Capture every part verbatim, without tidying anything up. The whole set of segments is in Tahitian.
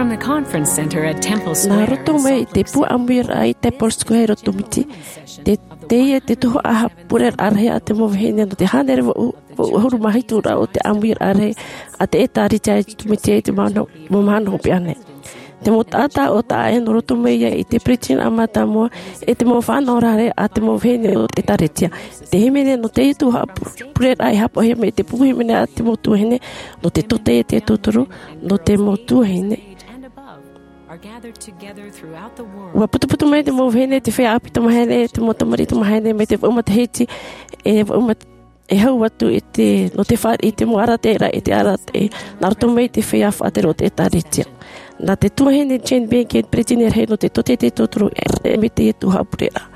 From the conference center at Temple Square. Nā roto mai i te pū ʻāmuiraʻa i Temple Square i Rotomiti, te, teie te tuhaʻa haʻapureraʻa rahi a te mau vahine nō te hānere vaʻu, vaʻu ʻahuru mā hitu ra o te ʻāmuiraʻa rahi a te ʻĒtārētia i Rotomiti i te mau mahana, mau mahana hopeʻa nei. Te mau taʻata ʻo taʻa ʻē nō roto mai ia i te peretiteni mātāmua, e te mau fānaʻoraʻa a te mau vahine o te ʻĒtārētia. Te hīmene nō teie tuhaʻa pu-, pureraʻa e haʻapaʻohia mai te pupu hīmene a te mau tuahine, nō te tōtaiete e tauturu, nō te mau tuahine. ʻUa putuputu mai te mau vahine, te feiā ʻāpī tamāhine, te mau tamariʻi tamāhine, mai te vaʻu matahiti, e vaʻu mat-, e hau atu i te, nō te fāriʻi i te mau arataʻiraʻa, i te arataʻi, nā roto mai te feiā faʻatere o te ʻĒtārētia. Nā te tuahine Jane Benkin, peretiteni rahi nō te tōtaiete e tauturu, e, e mai teie tuhaʻa pureraʻa.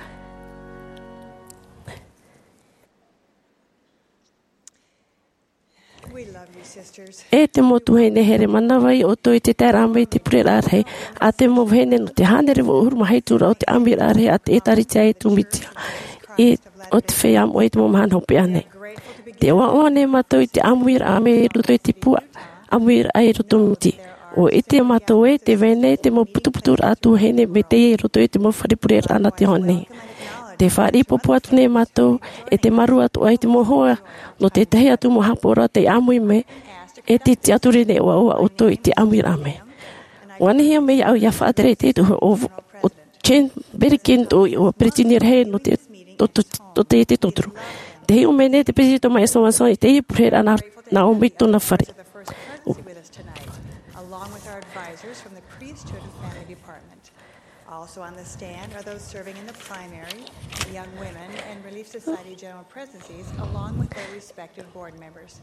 We love you, sisters. E te mau tuahine, here manaʻo ʻoutou i te taeraʻa mai i te pureraʻa rahi a te mau vahine nō te hānere vaʻu ʻahuru mā hitu ra o te ʻāmuiraʻa rahi a te ʻĒtārētia i Rotomiti, i, o te feiā moʻa i te mau mahana hopeʻa nei. Tē ʻoaʻoa nei mātou i te ʻāmuiraʻa mai i roto i te pū ʻāmuiraʻa i Rotomiti. ʻUa ʻite mātou ē tē vai nei te mau putuputuraʻa tuahine mai teie i roto i te mau fare pureraʻa nā te ao nei. Tē fāriʻi pōpō atu nei mātou, e tē mārū atoʻa i te mau hoa nō te tahi atu mau haʻapaʻoraʻa tei ʻāmui mai, e tē tiʻaturi nei ʻoaʻoa ʻoutou i te ʻāmuiraʻa mai. ʻUa nehenehe mai au ʻia faʻatere i te tuhaʻa ʻo, ʻo Jane Benkin, ʻo, ʻo peretiteni rahi nō te, tō, tō, tōtaiete e tauturu. Tē hiʻo mai nei te Peretiteni Thomas S. Monson i teie pureraʻa nā, nā ʻō mai i tōna fare. Along with our advisors from the Priesthood and Family Department. Also on the stand are those serving in the primary, young women, and Relief Society general presences, along with their respective board members.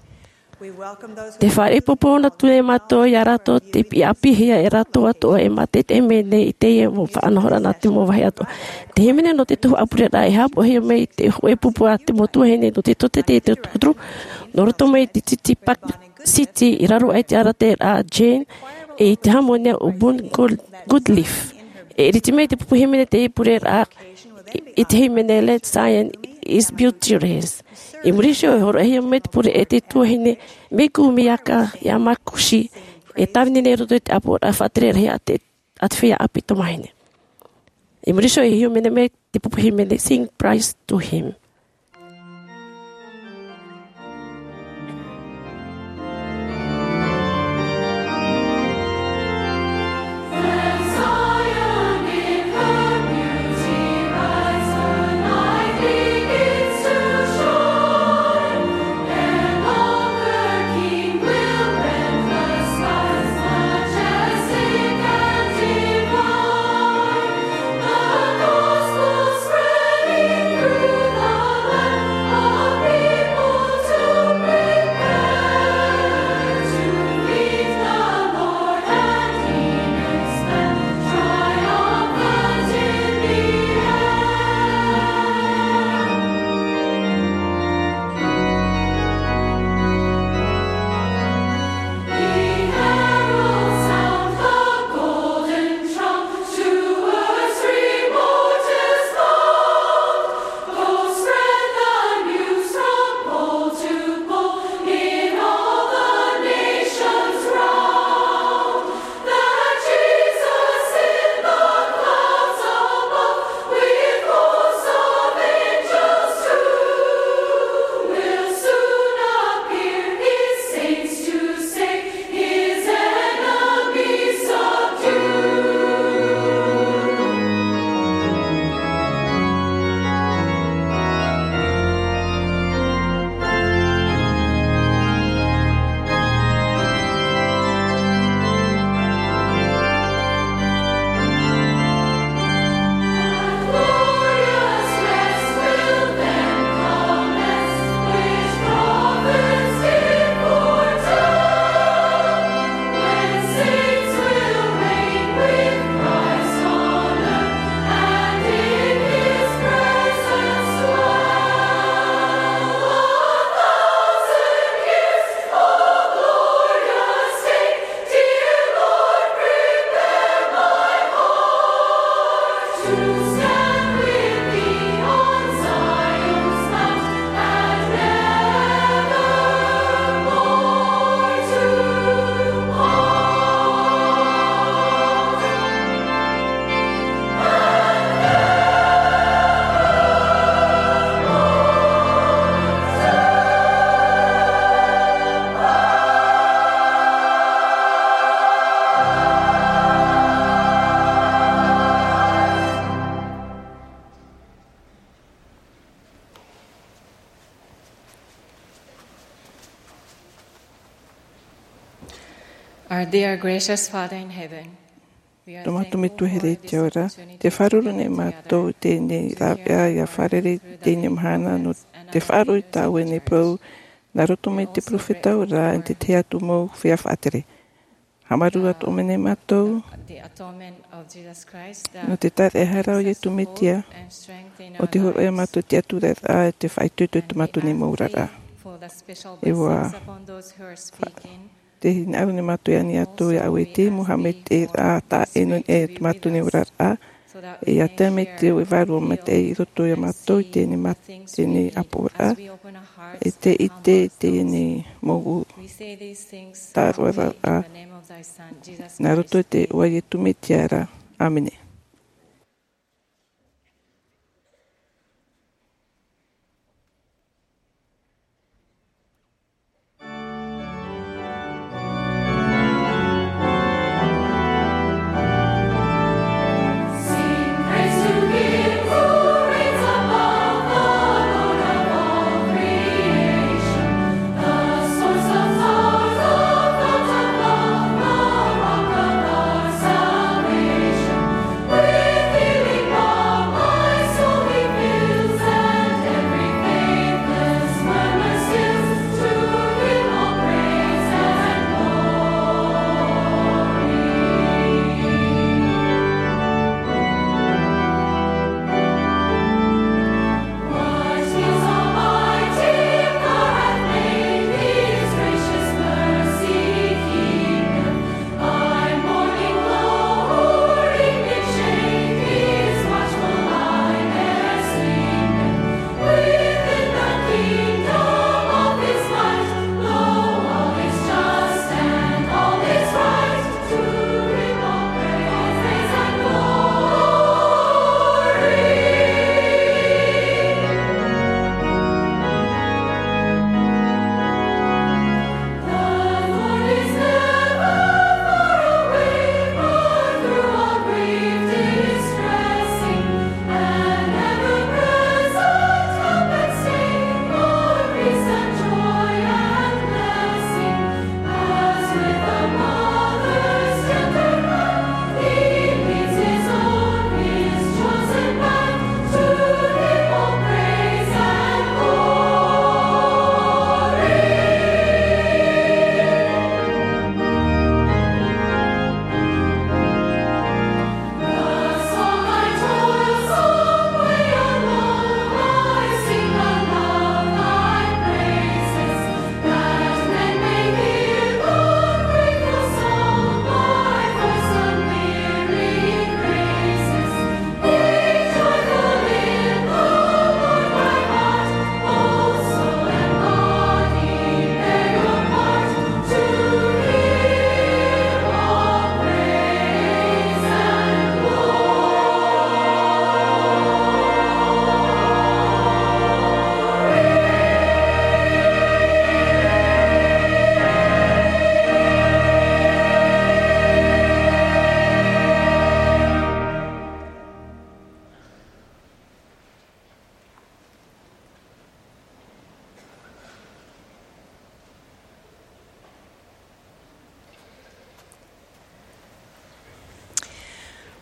We welcome those who Tē fāriʻi pōpō atu nei mātou ia rātou tei ʻāpīhia e rātou atoʻa e mātaʻitaʻi mai nei i teie mau faʻanahoraʻa nā te mau vāhi atoʻa. Te hīmene nō te tuhaʻa pureraʻa e haʻapaʻohia mai i te hōʻē pupu a te mau tuahine nō te tōtaiete e tauturu, nō roto mai i te tītī Park City i raro aʻe i te arataʻiraʻa a Jane, e i te hāmani ʻo Bun Good-, Goodleaf. E ʻiriti mai te pupu hīmene i teie pureraʻa i, i te hīmene Let Zion Is Beauteous. I muri iho e hōroʻahia mai te pure e te tuahine Miku Miaka Yamaguchi, e tāvini nei i roto i te ʻāpoʻoraʻa faʻatere rahi a te, a te feiā ʻāpī tamāhine. I muri iho e hīmene mai te pupu hīmene Sing Praise to Him. Our dear gracious Father in heaven, we are Tō mātou Metua here i te ao ra, te faʻaruru nei mātou i teie nei rāveʻa ʻia fārerei i teie nei mahana nō te faʻaroʻo i tā ʻoe nei parau, nā roto mai te peropheta ʻo Ioane, i te tahi atu mau feiā faʻatere. Haʻamāuruuru atoʻa mai nei mātou, the atonement of Jesus Christ, nō te tāraʻehara o Iesu Mesia, ʻo te hōroʻa ia mātou i te atura, ʻe te faʻaitoito i tō mātou nei mau oraraʻa. E ua, te hinaʻaro nei mātou i ani atu ia ʻoe i te mau haʻamaitaʻiraʻa taʻa ʻē nō niʻa i tō mātou nei oraraʻa, ʻe ʻia tae mai te vārua maitaʻi i roto ia mātou i teie nei mā-, teie nei ʻāpoʻoraʻa, ʻe te ʻite i teie nei mau tāroʻaraʻa, nā roto i te iʻoa o Iesu Mesia ra. ʻĀmene.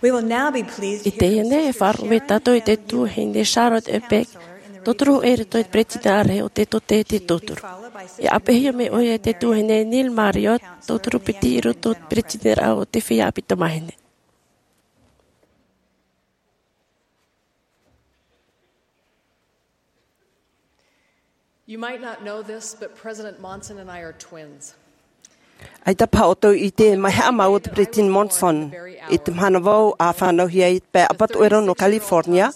I teie nei, e faʻaroʻo mai tātou i te tuahine Charlotte Ebeck, tauturu hoʻi i roto i te peretiteni rahi o te Tōtaiete Tauturu. E ʻāpeʻehia mai ʻoia e te tuahine Neil Marriott, tauturu piti i roto i te peretiteniraʻa o te Feiā ʻĀpī Tamāhine. You might not know this, but President Monson and I are twins. ʻAita paha ʻoutou i ʻite, mai haʻamau o te Peretiteni Monson. I te mahana vau a fānauhia ai i te pae ʻapatoʻerau nō California,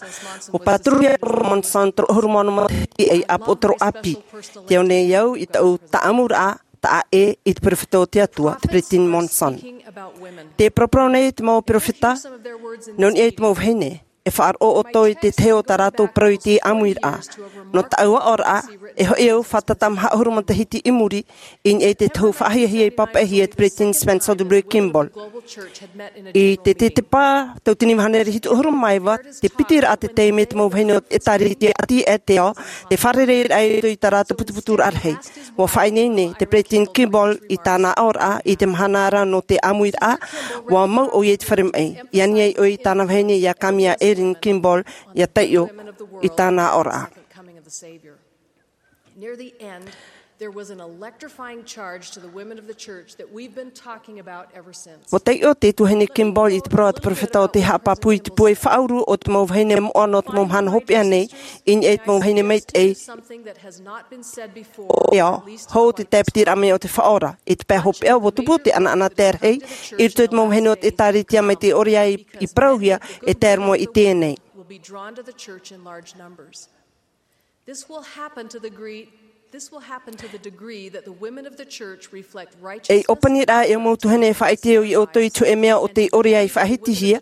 ʻua pāturuhia ʻo Monson toru ʻahuru mā ono matahiti ʻei ʻāpoʻo toro ʻāpī. Te ao nei au i taʻu tāʻamuraʻa taʻa ʻē i te peropheta o te Atua, te Peretiteni Monson. Tē paraparau nei te mau peropheta nō niʻa i te mau vahine. E faʻaroʻo ʻoutou i te tahi o tā rātou parau i te ʻāmuiraʻa. Nō taʻu aʻoraʻa, e hoʻi au fātata maha ʻahuru matahiti i muri, i niʻa i te tohu faʻahiahia i pāpaʻihia e te Peretiteni Spencer W. Kimball. I te, te, te pā, tauatini mahana e hitu ʻahuru mā iva, tē piti ra te taime te mau vahine o te ʻĒtārētia ʻĀtīaʻe i te ao, tē fārereiraʻa i roto i tā rātou putuputuraʻa rahi. Ua faʻaineine te peresideni Kimball i tāna aʻoraʻa i te mahana ra nō te ʻāmuiraʻa. Ua mau ʻoia i te fare maʻi. I ani ai ʻoia i tāna vahine ia Kamia Erin Kimball ia taiʻo i tāna aʻoraʻa. Near the end, there was an electrifying charge to the women of the church that we've been talking about ever since. Ua taiʻo te tuahine Kimball i te parau a te peropheta ʻo tē haʻapāpū i te pūai faʻauru o te mau vahine moʻa nō te mau mahana hopeʻa nei, i niʻa i te mau vahine maitaʻi. Something that has not been said before, ʻEa, at least hou te according to tae piti rā mai o te Faʻaora. I te pae hopeʻa, ua tupu te ʻanaʻanatae rahi i roto i te mau vahine o te ʻĒtārētia mai te ʻore ā i, i parauhia e tae roa i teie nei. Will be drawn to the church in large numbers. This will happen to the degree, this will happen to the degree that the women of the church reflect righteousness. E ʻōpani rā e mau tuahine e faʻaʻite ʻoia ʻoutou i te hōʻē mea o te ʻore ā i faʻahitihia,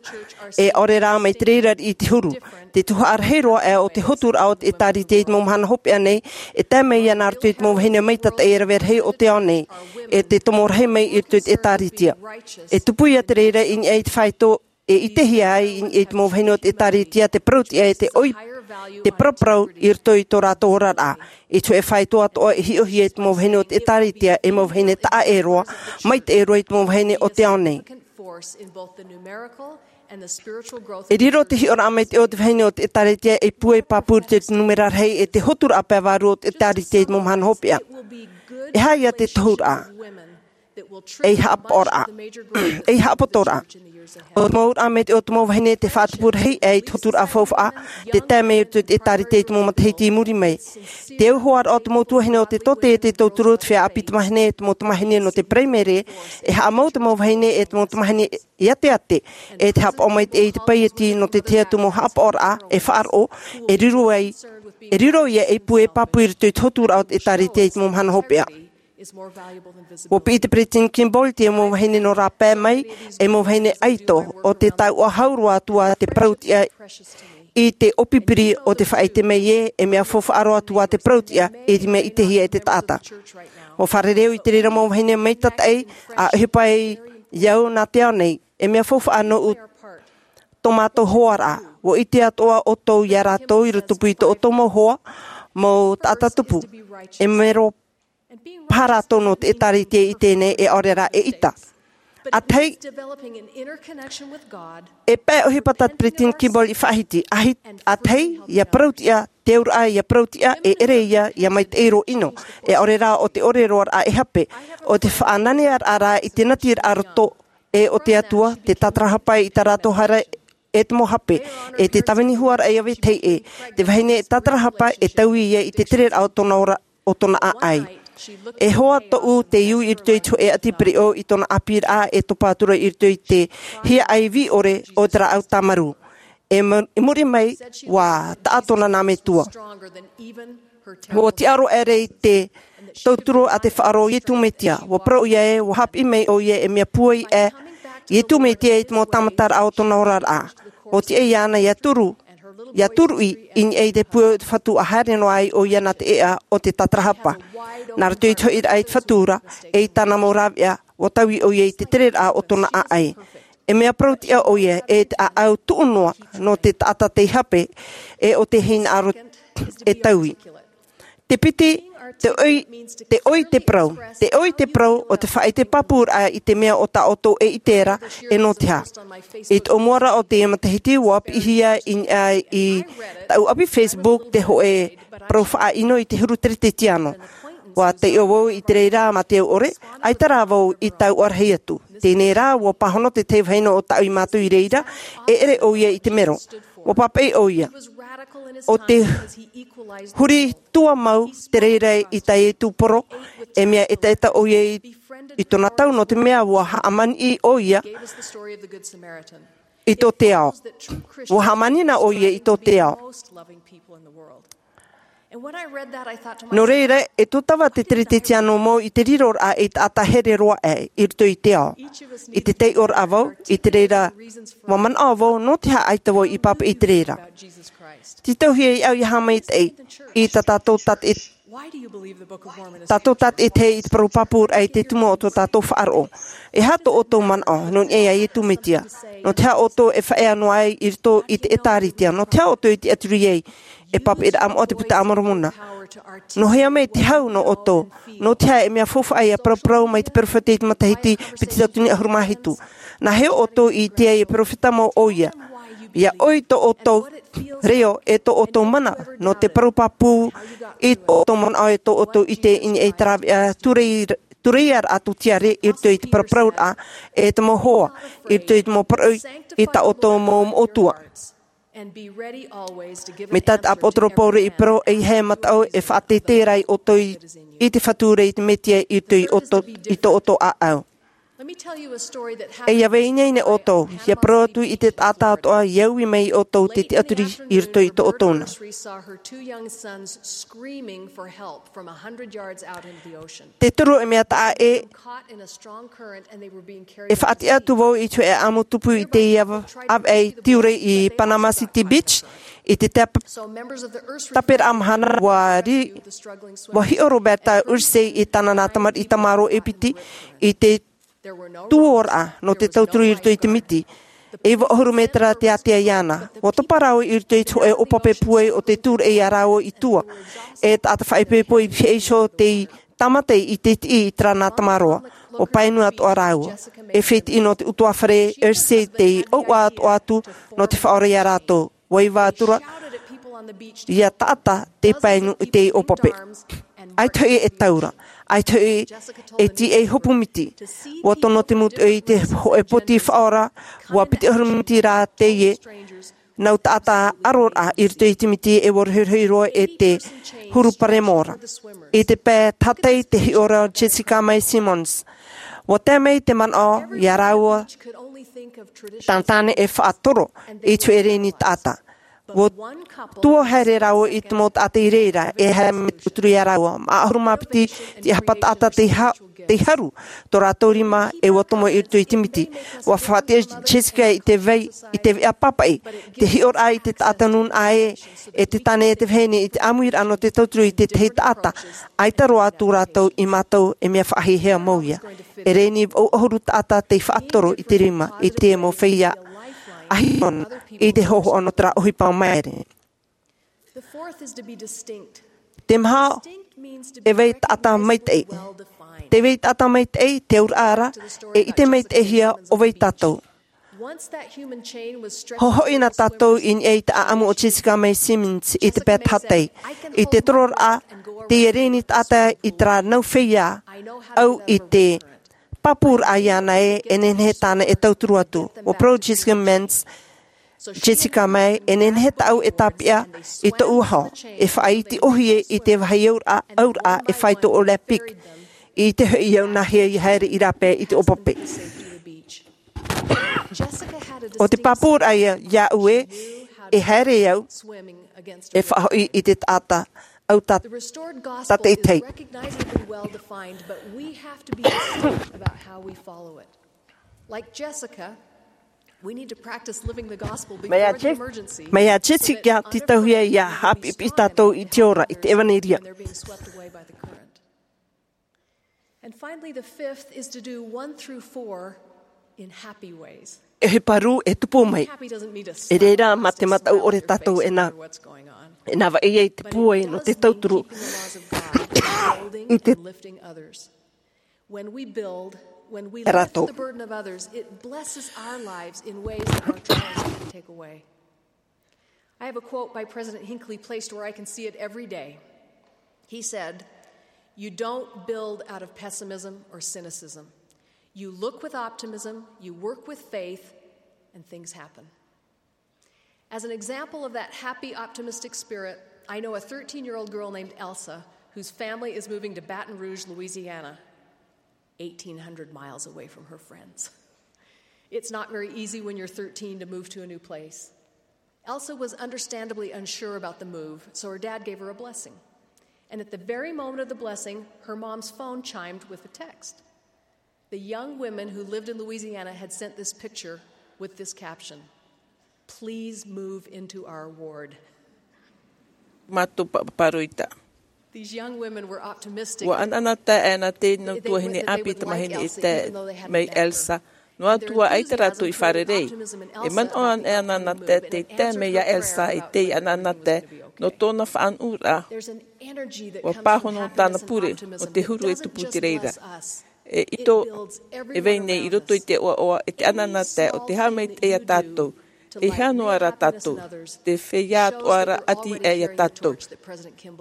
e ʻaore rā mai te reira i te huru. Te tuhaʻa rahi roa ā o te hoturaʻa o te ʻĒtārētia i te mau mahana hopeʻa nei, e tae mai ia nā roto i te mau vahine maitaʻi e rave rahi o te ao nei, e te tomo rahi mai i roto i te ʻĒtārētia. E tupu ia te reira i niʻa i te faito e ʻitehia ai i, i te mau vahine o te ʻĒtārētia te parauʻtiʻa e te ʻoi, te paraparau i roto i tō rātou oraraʻa. I te hōʻē faito atoʻa e hiʻohia i te mau vahine o te ʻĒtārētia, e mau vahine taʻa ʻē roa, maitaʻi roa i te mau vahine o te ao nei. E riro te hiʻoraʻa maitaʻi o te vahine o te ʻĒtārētia ei pūai pāpū i te nūmera rahi e te hoturaʻa pae vārua o te ʻĒtārētia i te mau mahana hopeʻa. E aha ia te tohuraʻa? Ei haʻapaʻoraʻa. Ei haʻapotoraʻa. ʻO te mau ʻauraʻa maitaʻi o te mau vahine te faʻatupu rahi ā i te hoturaʻa faufaʻa, te tae mai i roto i te ʻĒtārētia i te mau matahiti i muri mai. Te auhoaraʻa o te mau tuahine o te tōtē e te tauturu, te feiā ʻāpī tamahine, te mau tamahine nō te paraimere, e haʻamau te mau vahine e te mau tamahine ʻāteʻate, e te haʻapaʻo maitaʻi i te paieti nō te tahi atu mau haʻapaʻoraʻa e faʻaroʻo, e riro ai, e riro ia ei pūai pāpū i roto i te hoturaʻa o te ʻĒtārētia i te mau mahana hopeʻa. Ua piʻi te peresideni Kimball i te mau vahine nō rāpae mai, ei mau vahine ʻaito, ʻo te taʻatoʻa hau roa atu ā te parauʻtiʻa i te ʻōpipiri o te faʻaʻite mai ē, e mea faufaʻa roa atu ā te parauʻtiʻa i te mea ʻitehia e te taʻata. Ua fārerei au i te reira mau vahine maitaʻi, ʻa ʻohipa ai au nā te ao nei, e mea faufaʻa nōʻu tō mātou hoaraʻa. Ua ʻite atoʻa ʻoutou ia rātou i rotopū i tō ʻoutou mau hoa, mau taʻata tupu. E mero paha rātou nō te ʻĒtārētia i teie nei, e ʻaore rā e ʻita. ʻA tahi, e pae ʻohipa tā te peresideni Kimball i faʻahiti, ʻa hi-, ʻa tahi, ia parauʻtiʻa, te auraʻa ia parauʻtiʻa, e ʻere ia, ia maitaʻi roa ʻino, e ʻaore rā ʻo te ʻore roaraʻa e hape, ʻo te faʻananearaʻa rā i te natiraʻa roto, e o te Atua, te tātarahapa i tā rātou haere e te mau hape, e te tāvini huaraʻa ia vetahi ʻē, te vahine e tātarahapa e taui ia i te tereraʻa o tōna ora, o tōna ʻāʻai. E hoa tōʻu tei ui i roto i te hōʻē ʻati pereʻoʻo i tōna ʻāpīraʻa e topa atu ra i roto i te hiaʻai vī ʻore o te rāʻau tāmarū. E ma-, i muri mai, ua taʻa tōna nā metua. Ua tiʻa roa ʻere i te tauturu a te Faʻaora ʻo Iesu Mesia, ua parau ʻoia ē, ua haʻapiʻi mai ʻoia e mea pūai ʻē, Iesu Mesia i te mau tāmataraʻa o tōna oraraʻa. ʻO tiʻa iāna ia turu, ia turuʻi i niʻa i te pūai o te Fatu ʻa haere noa ai ʻoia nā te ʻēʻa o te tātarahapa. Nā roto i te hoʻiraʻa i te Fatu ra, e i tāna mau rāveʻa, ua taui ʻoia i te tereraʻa o tōna ʻāʻai. E mea parauʻtiʻa ʻoia, e te ʻāʻau tuʻu noa nō te taʻata tei hape, e ʻo te hinaʻaro e taui. Te piti, te ʻoi, te ʻoi te parau. Te ʻoi te parau ʻo te faʻaʻite pāpūraʻa i te mea o tā ʻoutou e ʻite ra, e nō te aha. I te ʻōmuaraʻa o teie matahiti, ua piʻihia i, ā, i tāʻu ʻapi Facebook te hōʻē parau faʻaʻino i te huru Teretetiano. Ua taiʻo vau i te reira mā te au ʻore, ʻaita rā vau i taui rahi atu. Teie rā, ua pāhono te tahi vahine o tāʻu i mātau i reira, e ʻere ʻoia i te mero. Ua pāpaʻi ʻoia. ʻO te huri tuamau te reira i tā Iesu poro, e mea ʻetaʻeta ʻoia i, i tōna tau, nō te mea ua hāmani ʻoia, i tō te ao. Ua hāmani na ʻoia i tō te ao. Nō reira, e tōtava te Teretetiano mau i te riroraʻa ei taʻata here roa aʻe i roto i te ao. I te taiʻoraʻa vau, i te reira, ua manaʻo vau, nō te aha ʻaita vau i pāpaʻi i te reira. Tītauhia iāʻu ia haʻamaitaʻi i tā tātou tātaʻi-, tātou tātaʻitahi i te parau pāpūraʻa i te tumu o tō tātou faʻaroʻo. E aha tō ʻoutou manaʻo, nō niʻa iā Iesu Mesia? Nō te aha ʻoutou e faʻaea noa ai i roto i te ʻĒtārētia? Nō te aha ʻoutou e tiʻaturi ai? E pāpaʻiraʻa moʻa te Puta a Moromona. Nō hea mai te hau nō ʻoutou? Nō te aha e mea faufaʻa ia paraparau mai te peropheta i te matahiti piti tauatini ʻahuru mā hitu? Nā hea ʻoutou i ʻite ai e peropheta mau ʻoia? Ia ʻoi tō ʻoutou reo e tō ʻoutou mana nō te parau pāpū i tō ʻoutou manaʻo e tō ʻoutou ʻite i niʻa i te rāveʻa tūreiraʻa tū tiare i roto i te paraparauraʻa e te mau hoa i roto i te mau parau i tā ʻoutou mau moʻotua. Mai tā te ʻāpōsetolo Paulo i parau, ʻeiaha e mataʻu e faʻateitei rā iā ʻoutou i te fatu i te Mesia i roto i tō ʻoutou ʻāʻau. E ia vai ineine ʻoutou, ia parau atu i te taʻata atoʻa ia ui mai iā ʻoutou te tiʻaturi i roto i tō ʻoutou nā. Te toru e mea taʻa ʻē e faʻatiʻa atu vau i te hōʻē ʻamu tupu i te ʻāvaʻe tiurai i Panama City Beach i te taperaʻa mahana ua hiʻo roberta ursay i tāna nā tamariʻi tamaroa e piti i te tuoraʻa nō te tauturu i roto i te miti. E iva ʻahuru mētera te ātea iāna ua topa rāua i roto i te hōʻē ʻōpape pūai o te tūraʻi iā rāua i tua. E taʻata faʻaipoipo i pihaʻi iho te tāmata i te tiʻi i te rā nā tamaroa ua pae nui atoʻa rāua. E fētiʻi nō te utuafare ursay te ʻauʻa atoʻa atu nō te faʻaora iā rātou. Ua iva atu rā ia taʻata te pae nui i te ʻōpape. ʻAita hoʻi e taura, ʻaita hoʻi e tīʻai hopu miti. Ua tono te mūtoʻi i te hōʻē poti faʻaora ua piti ʻahuru miti rā teie nau taʻata ʻaroraʻa i roto i te miti e ua rohirohi roa e te huru paremo ra. I te pae tahatai te hiʻo ra o Jessica Mae Simmons. Ua tae mai te manaʻo iā rāua tāna tāne e faʻatoro i te hōʻē reni taʻata. Ua tua haere rāua i te mau taʻata i reira e haere mai te tauturu iā rāua mā ʻahuru mā piti te hapa taʻata te haru tō rātou rima e ua tomo i roto i te miti. Ua faʻatiʻa jessica i te vai i te veʻa pāpaʻi te hiʻoraʻa i te taʻata nūnaʻa ē e te tāne e te vahine i te ʻāmuiraʻa nō te tauturu i tētahi taʻata. ʻAita roa atu rātou i mātau e mea faʻahiahia mau ia. E reni vaʻu ʻahuru taʻata tei faʻatoro i te rima i te mau feiā ʻahiona i te hōhoʻa nō te rā ʻohipa maere. Te maha e vai taʻata maitaʻi. Te vai taʻata maitaʻi te auraʻa ra e ʻite maitaʻihia ʻo vai tātou. Hōhoʻi na tātou i niʻa i te ʻaʻamu o jessica mae simmons i te pae tahatai i te tororaʻa teie reni taʻata i te rā nau feiā ʻau i te pāpūraʻa iāna ē e nehenehe tāna e tauturu atu. Ua parau jessica mae e nehenehe tāʻu e tāpeʻa i tōʻu aho e faʻaiti ʻohie i te vāhi auraʻa e fai tō olympic. I te hoʻi au nā hea i haere i rāpae i te ʻōpape. ʻO te pāpūraʻa iāʻu ē e haere au e faʻahoʻi i te taʻata ʻau tātaʻitahi. Mai iā jessica te tauhia ia haʻapiʻipiʻi tātou i te ora i te evanelia. E he paru e tupu mai e reira mā te mataʻu ʻore tātou e nā vaʻi ai te pūai nō te tauturu i te rātou. I have a quote by President Hinckley placed where I can see it every day. He said, "You don't build out of pessimism or cynicism. You look with optimism, you work with faith, and things happen." As an example of that happy, optimistic spirit, I know a thirteen-year-old girl named Elsa whose family is moving to Baton Rouge, Louisiana, eighteen hundred miles away from her friends. It's not very easy when you're thirteen to move to a new place. Elsa was understandably unsure about the move, so her dad gave her a blessing. And at the very moment of the blessing, her mom's phone chimed with a text. The young women who lived in Louisiana had sent this picture with this caption: "Please move into our ward." Mātou paparoita. Ua ʻanaʻanatae nā teie nau tuahine ʻāpī tamahine e tae mai elsa. Noa atu ā ʻaita rātou i fārerei. E manaʻo ana e ʻanaʻanatae te taime iā Elsa e tei ʻanaʻanatae nō tōna faʻanuʻuraʻa. Ua pāhono tāna pure o te huru e tupu i te reira. E ʻito e vai nei i roto i te ʻoaʻoa e te ʻanaʻanatae o te haʻamaitaʻi iā tātou. E hea noa rā tātou te feiā atoʻa ra ʻati aʻe iā tātou.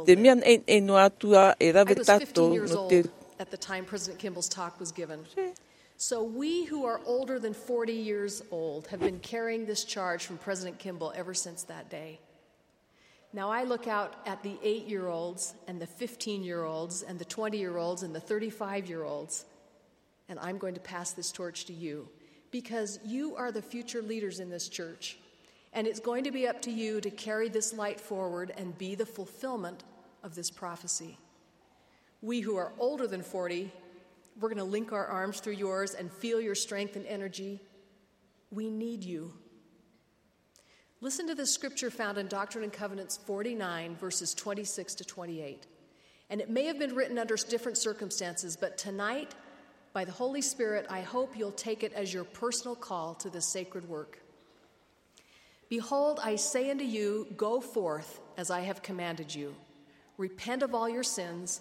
Te mea naʻinaʻi noa atu ā e rave tātou nō te At the time President Kimball's talk was given. So we who are older than forty years old have been carrying this charge from President Kimball ever since that day. Now I look out at the eight-year-olds and the fifteen-year-olds and the twenty-year-olds and the thirty-five-year-olds, and I'm going to pass this torch to you because you are the future leaders in this church. And it's going to be up to you to carry this light forward and be the fulfillment of this prophecy. We who are older than forty, we're going to link our arms through yours and feel your strength and energy. We need you. Listen to this scripture found in Doctrine and Covenants forty-nine, verses twenty-six to twenty-eight. And it may have been written under different circumstances, but tonight, by the Holy Spirit, I hope you'll take it as your personal call to this sacred work. Behold, I say unto you, go forth as I have commanded you. Repent of all your sins.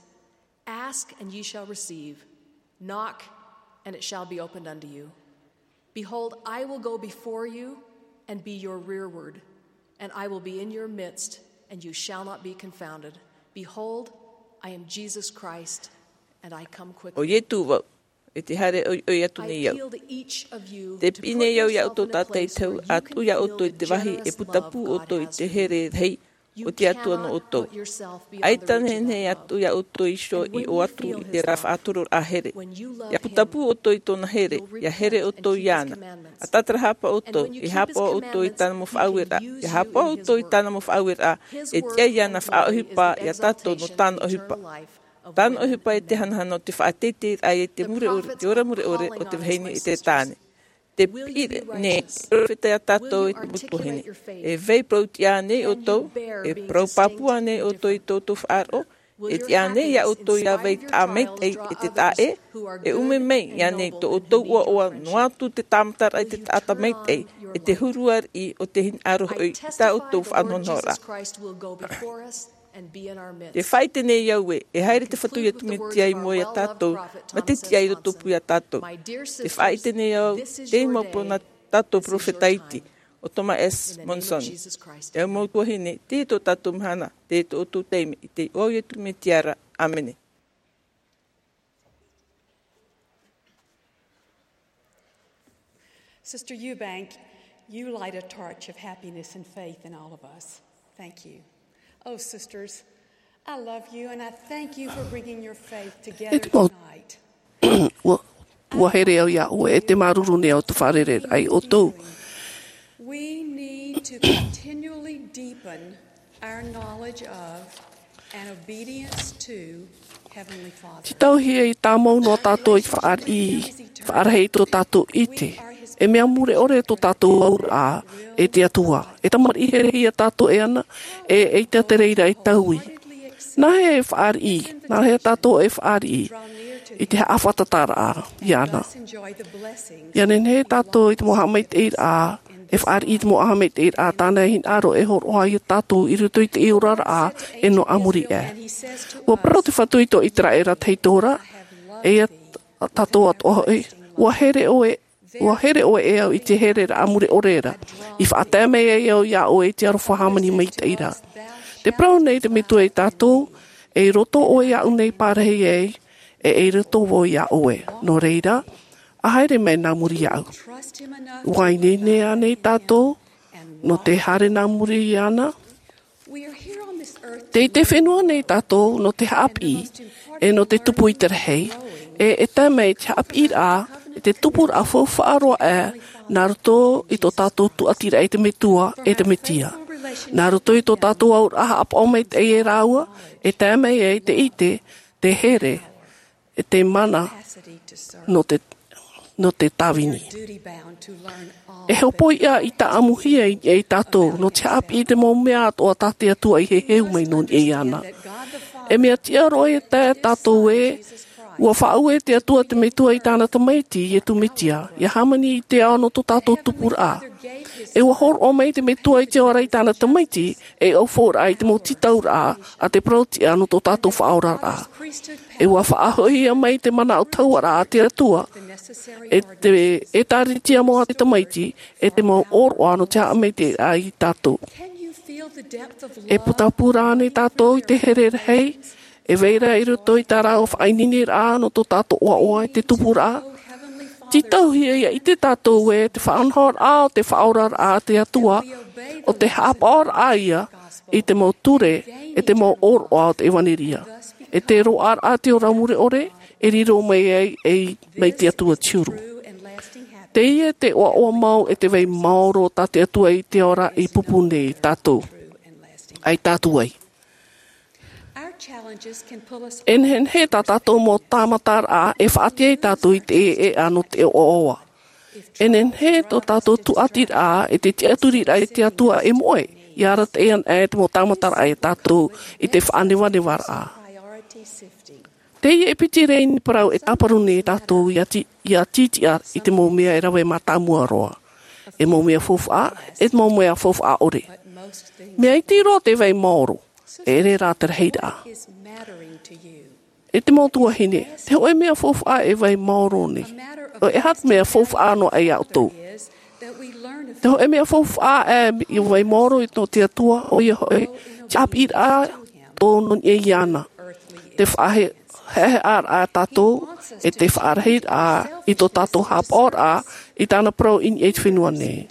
Ask, and ye shall receive. Knock, and it shall be opened unto you. Behold, I will go before you and be your rearward, and I will be in your midst, and you shall not be confounded. Behold, I am Jesus Christ, and I come quickly. ʻO Ietu vau, e te haere ʻoiʻoi atu nei au. Te piʻi nei au iā ʻoutou tātaʻitahi, ʻa tuʻu iā ʻoutou i te vāhi e putapū ʻoutou i te here rahi o te Atua nō ʻoutou. ʻAita nehenehe atu iā ʻoutou iho i ʻō atu i te faʻatororaʻa here. ʻIa putapū ʻoutou i tōna here, ʻia here ʻoutou iāna. ʻA tātarahapa ʻoutou, e haʻapaʻo ʻoutou i tāna mau faʻaueraʻa, ʻia haʻapaʻo ʻoutou i tāna mau faʻaueraʻa, e tiʻa iāna faʻaʻohipa iā tātou nō tāna ʻohipa. Tāna ʻohipa e te hanahana o te faʻateiteiraʻa i te mure ʻore, te ora mure ʻore o te vahine e te tāne. Te piʻi nei e perofeta iā tātou e te mau tuahine. E vai parau tiʻa nei ʻoutou, e parau pāpū nei ʻoutou i tō ʻoutou faʻaroʻo, e tiʻa nei iā ʻoutou ʻia vai taʻa maitaʻi e te taʻa ʻē, e ʻume mai iāna tō ʻoutou ʻoaʻoa noa atu te tāmataraʻa i te taʻata maitaʻi, e te huru ariʻi o te hinaʻaro hoʻi i tā ʻoutou faʻanahonahoraʻa. Te faʻaʻite nei au ē, e haere te Fatu Iesu Mesia i mua iā tātou, mā te tiʻa i rotopū iā tātou. Te faʻaʻite nei au, teie mau parau nā tātou perofeta iti, ʻo Thomas S. Monson. E mau tuahine, teie tō tātou mahana, teie tō ʻoutou taime, i te iʻoa o Iesu Mesia ra. ʻĀmene. Sister Eubank, you light a torch of happiness and faith in all of us. Thank you. Oh, sisters, I love you and I thank you for bringing your faith together tonight. Ua, ua here au iā ʻoe, e te māuruuru nei au te fārereiraʻa iā ʻoutou. We need to continually deepen our knowledge of and obedience to Heavenly Father. Te tauhia i tāmau noa tātou i te fāriʻi, faʻarahi i tō tātou ʻite. E mea mure ʻore tō tātou auraʻa e te Atua. E tamariʻi herehia tātou e ana, e, eʻita te reira e taui. Nā hea e fāriʻi, nā hea tātou e fāriʻi i te haʻafātataraʻa iāna. ʻIa nehenehe tātou i te mau haʻamaitaʻiraʻa, e fāriʻi i te mau haʻamaitaʻiraʻa tāna e hinaʻaro e hōroʻa iā tātou i roto i te oraraʻa e nō ʻāmui aʻe. Ua parau te Fatu i tō ʻĪteraʻera tahito ra, e iā tātou atoʻa hoʻi, ua here ʻoe, ua here ʻoe e au i te hereraʻa mure ʻore ra, i faʻatae mai ai au iā ʻoe i te aroha hāmani maitaʻi ra. Te parau nei te Metua iā tātou, e i roto ʻoe iāʻu nei parahi ai, e i roto vau iā ʻoe. Nō reira, ʻa haere mai nā muri iāʻu. ʻUa ineine ānei tātou, nō te haere nā muri iāna? Tei te fenua nei tātou, nō te haʻapiʻi, e nō te tupu i te rahi, e, e tae mai te haʻapiʻiraʻa, e te tupuraʻa faufaʻa roa aʻe, nā roto i tō tātou tūʻatiraʻa i te Metua, e te Mesia. Nā roto i tō tātou auraʻa haʻapaʻo maitaʻi e rāua, e tae mai ai te ʻite, te here, e te mana nō te, nō te tāvini. E hopoiʻa i tāʻamuhia i, e i tātou, nō te haʻapiʻi i te mau mea atoʻa tā te Atua i heheu mai nō niʻa iāna. E mea tiʻa roa e tae tātou ē, Ua faʻaue te Atua te Metua i tāna Tamaiti, Iesu Mesia, ia hāmani i te ao nō tō tātou tupuraʻa. E ua hōroʻa mai te Metua i te ora i tāna Tamaiti, e ʻaufau raʻa i te mau tītauraʻa a te parau-tiʻa nō tō tātou faʻaoraraʻa. E ua faʻahoʻihia mai te manaʻo tauaraʻa a te Atua, e te ʻĒtārētia mau a te Tamaiti, e te mau ʻōroʻa nō te haʻamaitaʻiraʻa ia tātou. E putapū rānei tātou i te here rahi, e vai ra i roto i tā rāua faʻaineineraʻa nō tō tātou ʻoaʻoa i te tupuraʻa? Tītauhia ia ʻite tātou ē te faʻanahoraʻa o te faʻaoraraʻa a te Atua, ʻo te haʻapaʻoraʻa ia i te mau ture, e te mau ʻōroʻa o te ʻevanelia. E te roaʻaraʻa te ora mure ʻore, e riro mai ai, e mai te Atua te huru. Teie te ʻoaʻoa mau e te vai maoro tā te Atua i te ora i pupu nei tātou. Ai tātou ai. E nehenehe tā tātou mau tāmataraʻa e faʻaʻite ai tātou i te ʻēʻēʻa nō te ʻoaʻoa. E nehenehe tō tātou tūʻatiraʻa e te tiʻaturiraʻa i te Atua e moʻe, ia arataʻi ana e te mau tāmataraʻa ia tātou i te faʻanevanevaraʻa. Teie e piti rēni parau e tāparu nei tātou ia ti-, ia tītiʻa i te mau mea e rave mātāmua roa. E mau mea faufaʻa, e mau mea faufaʻa ʻore. Mea iti roa te vai maoro, e ʻere rā te rahiraʻa. E te mau tuahine, te hōʻē mea faufaʻa e vai maoro nei. ʻOia, e aha te mea faufaʻa noa ai ia ʻoutou? Te hōʻē mea faufaʻa e vai maoro i tō te Atua, ʻoia hoʻi, te ʻāpīraʻa tō nō niʻa iāna. Te faʻahe-, haʻehaʻaraʻa tātou, e te faʻarahiraʻa i tō tātou haʻapaʻoraʻa, i tāna parau i niʻa i te fenua nei.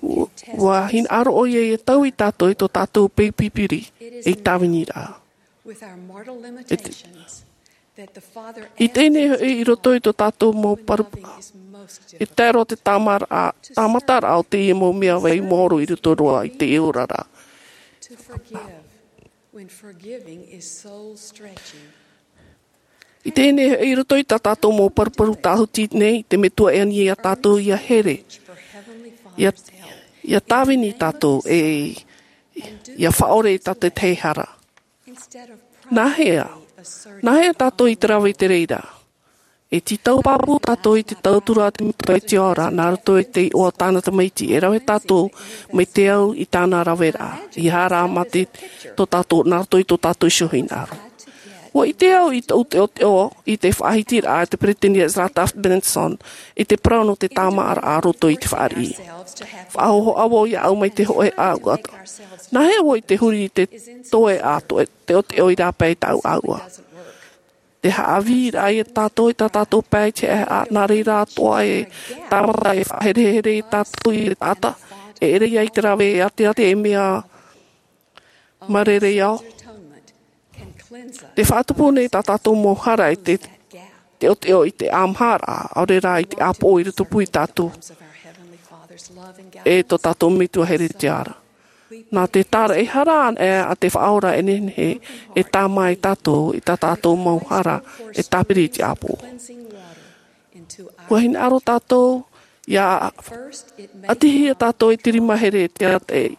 Ua, ua hinaʻaro ʻoia ia taui tātou i tō tātou peu pipiri, ei tāviniraʻa. E te, i teie nei hoʻi i roto i tō tātou mau paru-, e tae roa te tāmaraʻa, tāmataraʻa o teie mau mea vai maoro i roto roa i te oraraʻa. I teie nei hoʻi i roto i tā tātou mau paruparu tāhuti nei, te Metua e ani ia tātou ia here. Ia, ia tāvini tātou e ia faʻaʻore i tā te tahi hara. Nāhea? Nāhea tātou i te rave i te reira? E tītau pāpū tātou i te tauturu a te Metua i te ao ra, nā roto i te iʻoa o tāna Tamaiti, e rave tātou mai te au i tāna raveraʻa, ia haere mai te, tō tātou, nā roto i tō tātou iho hinaʻaro. Ua ʻite au i tōʻu teʻoteʻo i te faʻahitiraʻa a te Peresideni Ezra Taft Benson i te parau nō te tāmāʻaraʻa roto i te fāriʻi. Faʻahōhoʻa vau iāʻu mai te hōʻē ʻāuʻa. Nāhea vau i te huri i te toe ā, toe teʻoteʻo i rāpae i tāʻu ʻāuʻa. Te haʻavīraʻa ia tātou i tā tātou pae i te haʻehaʻa, nā reira atoʻa e tāmata e faʻaherehere ia tātou i te taʻata, e ʻere ia i te rave e ʻateʻate e mea mārereia. Te faʻatupu nei tā tātou mau hara i te, teʻoteʻo i te ʻāmaharaʻa, ʻaore rā i te ʻāpoʻo i rotopū ia tātou. E tō tātou Metua here i te ao ra. Nā te tāraʻehara anaʻe a te Faʻaora e nehenehe e tāmā ia tātou i tā tātou mau hara e tāpiri i te ʻāpoʻo. Ua hinaʻaro tātou ia ʻatihia tātou i te rima here e te arataʻi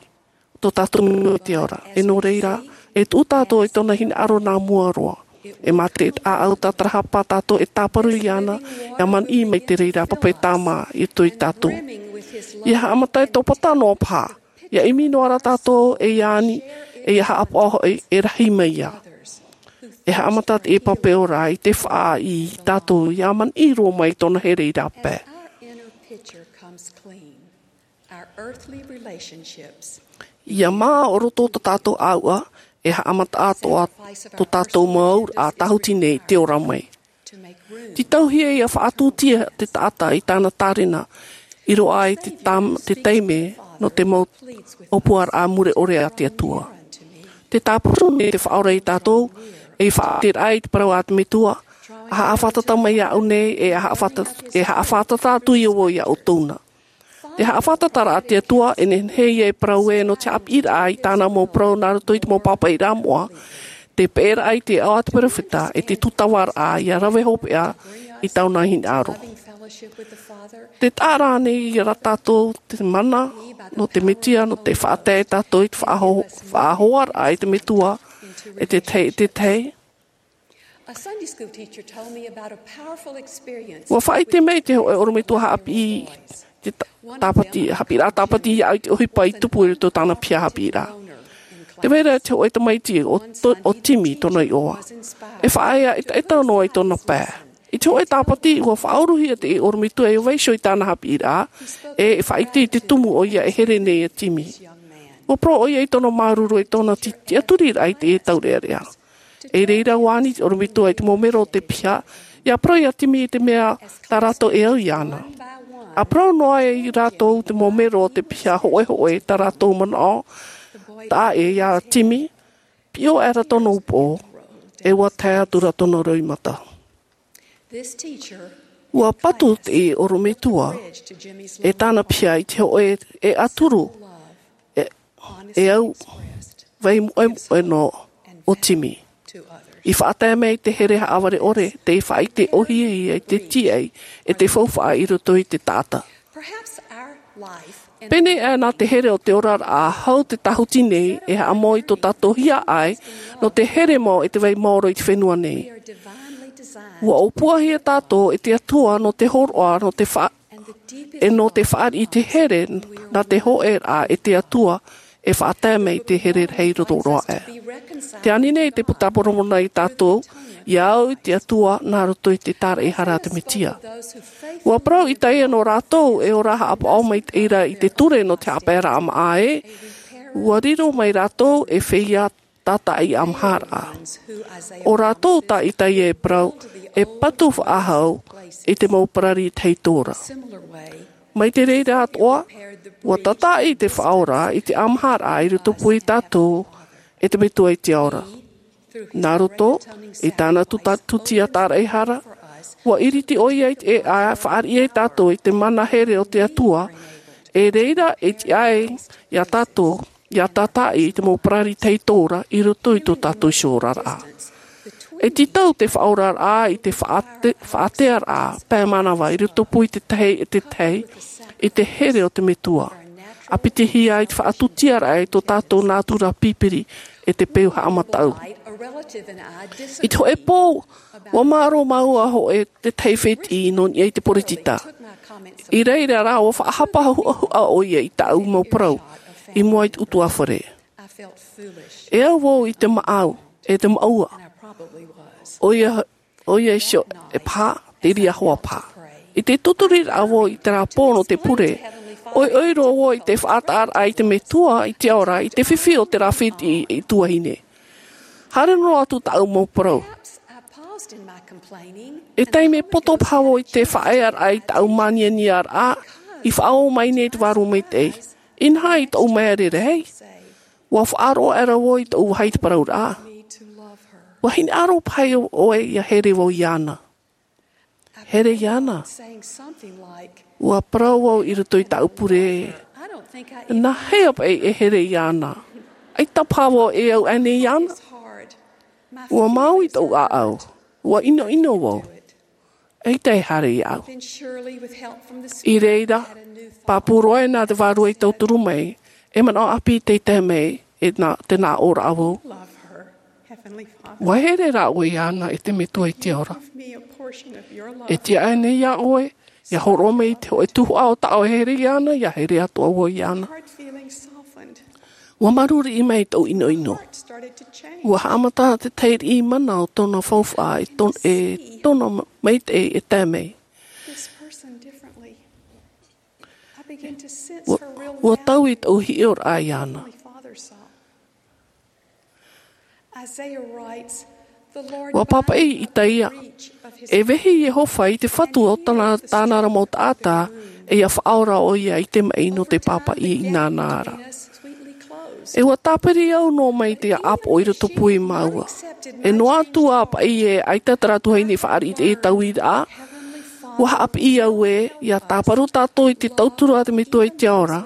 tō tātou Metua i te ao ra. E nō reira, e tuʻu tātou i tōna hinaʻaro nā mua roa. E mā te ʻāʻau tātarahapa tātou e tāparu iāna, ia manaʻo mai te reira pāpaʻi tāmā i roto ia tātou. Ia haʻamata e tauturu noa paha. Ia ʻimi noa ra tātou e ia ani, e ia haʻapaʻo hoʻi e rahi mai ia. E haʻamata te pāpaʻi ora i te faʻaʻī ia tātou ia manaʻo roa mai tōna here i rāpae. Ia mā o roto tō tātou ʻāuʻa, e haʻamata atoʻa tō tātou mau auraʻa tāhuti nei i te ora mai. Tītauhia ia faʻatūtia te taʻata i tāna tārena, i roaʻa i te tam-, te taime nō te mau ʻōpuaraʻa mure ʻore a te Atua. Te tāparu nei te Faʻaora ia tātou, e faʻaʻiteraʻa i te parau a te Metua, ʻa haʻafātata mai iāʻu nei, e ʻa haʻafāta-, e haʻafātata atu ia vau ia ʻoutou na. Te haʻafātataraʻa a te Atua, e nehenehe ia e parau ē nō te haʻapiʻiraʻa i tāna mau parau nā roto i te mau pāpaʻiraʻa moʻa, te peʻeraʻa i te aʻo a te perofeta, e te tūtavaraʻa ia rave hopeʻa i tāna hinaʻaro. Tē taʻa ra ānei ia tātou te mana nō te Mesia, nō te faʻatae tātou i te faʻaho-, faʻahoaraʻa i te Metua, e te tahi, e te tahi. A Sunday school teacher told me about a powerful experience. Ua faʻaʻite mai te hōʻē ʻorometua haʻapiʻi, te ta-, tāpati, haʻapiʻiraʻa tāpati iāʻu i te ʻohipa i tupu i roto i tāna piha haʻapiʻiraʻa. Tē vai ra te hōʻē tamaiti ʻo to-, ʻo Timi tōna iʻoa. E faʻaea ʻetaʻeta noa i tōna pae. I te hōʻē tāpati, ua faʻauruhia te ʻorometua e vaiiho i tāna haʻapiʻiraʻa, e faʻaʻite i te tumu ʻoia e here nei iā Timi. Ua parau ʻoia i tōna māuruuru, i tōna ti-, tiʻaturiraʻa i te taureʻareʻa. I reira ua ani te ʻorometua i te mau mero o te piha, ʻia parau iā Timi i te mea tā rātou e au iāna. ʻA parau noa ai rātou te mau mero o te piha hōʻēhōʻē tā rātou manaʻo, taʻa ʻē iā Timi, piʻo aʻera tōna upoʻo, e ua tae atu ra tōna roimata. Ua patu te ʻorometua e tāna piha i te hōʻē e ʻaturu, e, e au vai moʻemoʻe noa o Timi. I faʻatae mai te here haʻavare ʻore, te faʻaʻite ʻōhie i te tīaʻi, e te faufaʻa i roto i te taʻata. Pēnei aʻe nā te here o te oraraʻa, hau te tāhuti nei e haʻamau i tō tātou hiaʻai nō te here mau e te vai maoro i te fenua nei. Ua ʻōpuahia tātou e te Atua nō te hōroʻa, nō te fa-, e nō te fāriʻi i te here nā te hōʻēraʻa e te Atua e faʻatae mai te here rahi roa aʻe. Tē ani nei te Puta Moromona iā tātou, ʻia au i te Atua nā roto i te tāraʻehara a te Mesia. Ua parau Isaia nō rātou e ora haʻapaʻo maitaʻi ra i te ture nō te haʻapaeraʻa māʻa ē, ua riro mai rātou ei feiā tātaʻi ʻāmaharaʻa. ʻO rātou tā Isaia e parau, e patu faʻahou i te mau parari tahito ra. Mai te reira atoʻa, ua tātaʻi te Faʻaora i te ʻāmaharaʻa i roto pū iā tātou e te Metua i te Ao ra. Nā roto i tāna tuta-, tūtia tāraʻehara, ua ʻiriti ʻoia i te, e, ʻa fāriʻi ai tātou i te mana here o te Atua, e reira e tiʻa ai iā tātou, ʻia tātaʻi i te mau parari tahito ra i roto i tō tātou iho oraraʻa. E tītau te Faʻaoraraʻa i te faʻate-, faʻatearaʻa pae manava i roto pū i te tahi e te tahi, i te here o te Metua. ʻA pitihia ai te faʻatūtiaraʻa i tō tātou nātura pipiri e te peu haʻamataʻu. I te hōʻē pō, ua māro māua hōʻē te tahi fētiʻi nō niʻa i te poritita. I reira rā, ua faʻahapa huʻahuʻa ʻoia i tāʻu mau parau i mua i te ʻutuāfare. E au vau i te maʻau, e te maʻua. ʻOia, ʻoia iho e paha, te reira hoʻi paha. I te tūturiraʻa vau i terā pō nō te pure, ʻoiʻoi roa vau i te faʻataʻaraʻa i te Metua i te Ao ra, i te fifi o terā fētiʻi e tuahine. Haere noa atu tāʻu mau parau. E taime poto paha vau i te faʻaearaʻa i tāʻu mānianiaraʻa, i faʻaō mai nei te Vārua Maitaʻi. Inaha i tōʻu mea rarahi, ua faʻaroʻo aʻera vau i tōʻu vāhi i te parauraʻa. Ua hinaʻaro paha ʻoe ʻia here vau iāna. Here iāna. Ua parau vau i roto i tāʻu pure. Nā hea paʻi e here iāna? ʻAita paha vau e au aʻenei iāna. Ua māuiui tōʻu ʻāʻau. Ua ʻinoʻino vau. ʻAita e haere iāʻu. I reira, pāpū roa nā te Vārua i tauturu mai, e manaʻo ʻāpī tei tae mai, e nā, te nā ʻōraʻa vau. Ua here rā ʻoe iāna, e te Metua i te Ao ra. E tiʻa aʻenei iā ʻoe, ʻia hōroʻa mai i te hōʻē tuhaʻa o tāʻu e here iāna, ʻia here atoʻa vau iāna. Ua māuruuru mai tōʻu ʻinoʻino. Ua haʻamata te tahi riʻi mana o tōna faufaʻa, e tō-, e tōna ma-, maitaʻi e tae mai. Ua, ua taui tōʻu hiʻoraʻa iāna. Ua pāpaʻi Isaia, e vehe Iehova i te Fatu o tāna, tāna ra mau taʻata, e ʻia faʻaora ʻoia i te maʻi nō te pāpaʻi i nāna ra. E ua tāpiri au noa mai te ʻāpoʻo i roto pū iā māua. E noa atu ā paʻi ē ʻaita terā tuahine i fāriʻi i te tauiraʻa, ua haʻapiʻi au ē, ʻia tāparu tātou i te tauturu a te Metua i te Ao ra.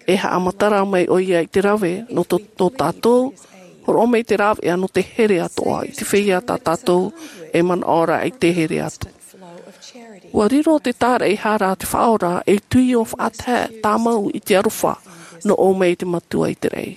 E haʻamatara mai ʻoia i te rave nō tō, tō tātou, hōroʻa mai te rāveʻa nō te here atoʻa, i te feiā tā tātou e manaʻo ra i te here atu. Ua riro te tāraʻehara a te Faʻaora ei tuio faʻatae tāmau i te aroha nō ʻō mai i te Metua i te raʻi.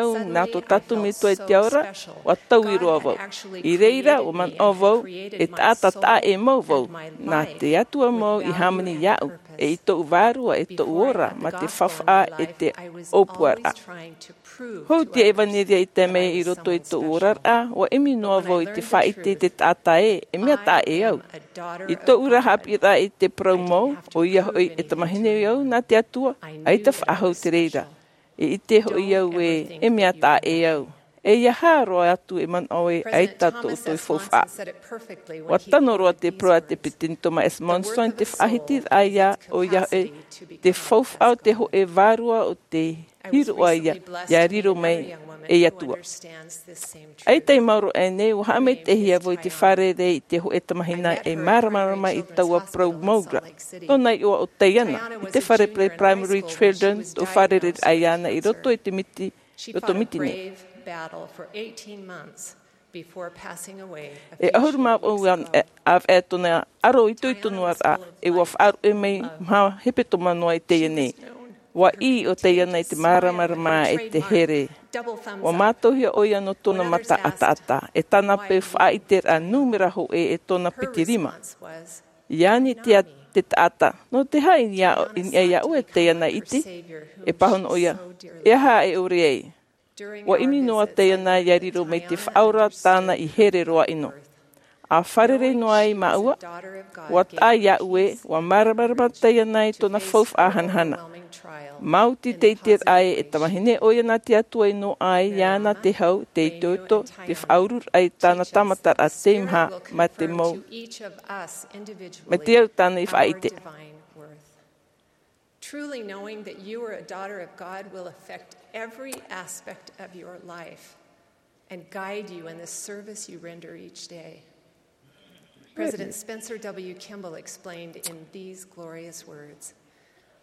au nā tō tātou Metua i te ao ra, ʻua taui roa vau. I reira, ʻua manaʻo vau, e taʻata taʻa ʻē mau vau, nā te Atua mau i hāmani iāʻu, e i tōʻu vārua, e tōʻu ora, mā te faufaʻa e te ʻōpuaraʻa. Hou te ʻevanelia i tae mai i roto i tōʻu oraraʻa, ʻua ʻimi noa vau i te faʻaʻite i te taʻata ē, e mea taʻa ʻē au. I tōʻu ra haʻapiʻiraʻa i te parau mau, ʻoia hoʻi e tamahine au nā te Atua, ʻaita faʻahou te reira. E ʻite hoʻi au ē, e mea taʻa ʻē au. E ia hā roa atu e manaʻo ē, ʻaita tō ʻoutou faufaʻa. ʻUa tano roa te parau a te peresideni Thomas S. Monson i te faʻahitiraʻa ia, ʻoia hoʻi, te faufaʻa o te hōʻē vārua o te hiroʻa ia, ia riro mai ei Atua. ʻAita i maoro aʻenei, ʻua haʻamaitaʻihia vau i te fārerei i te hōʻē tamahine e māramarama i taua parau mau ra. Tōna iʻoa ʻo Diana, i te fare pere Primary Children, tō fārereiraʻa iāna i roto i te miti Roto Miti nei. E ʻahuru mā vaʻu ʻāvaʻe tōna ʻaro itoito noa ra, e ua faʻaruʻe mai maha hepetoma noa i teie nei. Ua ʻī ʻo Taiana i te māramarama e te here. Ua mātauhia ʻoia nō tōna mata ʻataʻata, e tāna peu faʻaʻiteraʻa nūmera hōʻē e tōna piti rima. I ani te taʻata, nō te aha i niʻa iā ʻoe Taiana, ʻite? E pāhono ʻoia, e aha e ʻore ai? Ua ʻimi noa Taiana ia riro mai te faʻaora tāna i here roa ʻino. A fārerei noa ai māua, ua taʻa iāʻu ē, ua māramarama Taiana i tōna faufaʻa hanahana. Maoti te ʻiteraʻa ē, e tamahine ʻoia nā te Atua i noaʻa ai iāna te hau, te itoito, te faʻaururaʻa i tāna tāmataraʻa teimaha, mā te mau, mā te au tāna i faʻaʻite. Truly knowing that you are a daughter of God will affect every aspect of your life and guide you in the service you render each day. President Spencer W. Kimball explained in these glorious words,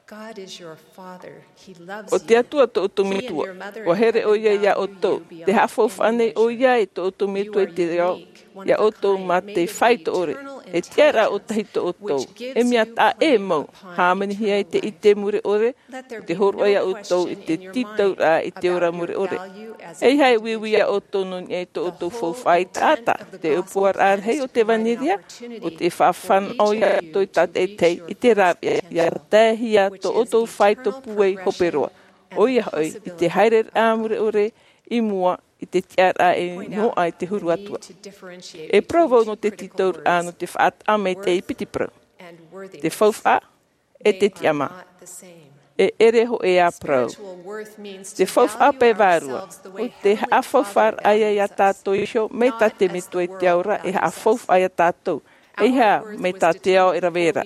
God is your Father. He loves you. ʻO te Atua tō ʻoutou Metua. Ua here ʻoia iā ʻoutou. Tē haʻafaufaʻa nei ʻoia i tō ʻoutou Metua i te ao, iā ʻoutou mā te faito ʻore. E tiʻaraʻa ʻōtahi tō ʻoutou. E mea taʻa ʻē mau. Hāmanihia i te ʻite mure ʻore, ʻo te hōroʻa iā ʻoutou i te tītauraʻa i te ora mure ʻore. ʻEiaha e uiui iā ʻoutou nō niʻa i tō ʻoutou faufaʻa i taʻata, te ʻōpuaraʻa rahi o te ʻevanelia, ʻo te faʻafānaʻo iā ʻoutou i tātaʻitahi i te rāveʻa, ia taehia tō ʻoutou faito pūai hope roa. ʻOia hoʻi, i te haereraʻa mure ʻore i mua i te tiʻaraʻa e noaʻa i te huru atu. E parau vau nō te tītauraʻa nō te faʻataʻa maitaʻi piti parau. Te faufaʻa, e te tiʻamā. E ʻere hōʻē ā parau. Te faufaʻa pae vārua. ʻO te haʻafaufaʻaraʻa ia iā tātou iho, mai tā te Metua i te ao ra, e haʻafaufaʻa iā tātou. ʻEiaha, mai tā te ao e rave ra.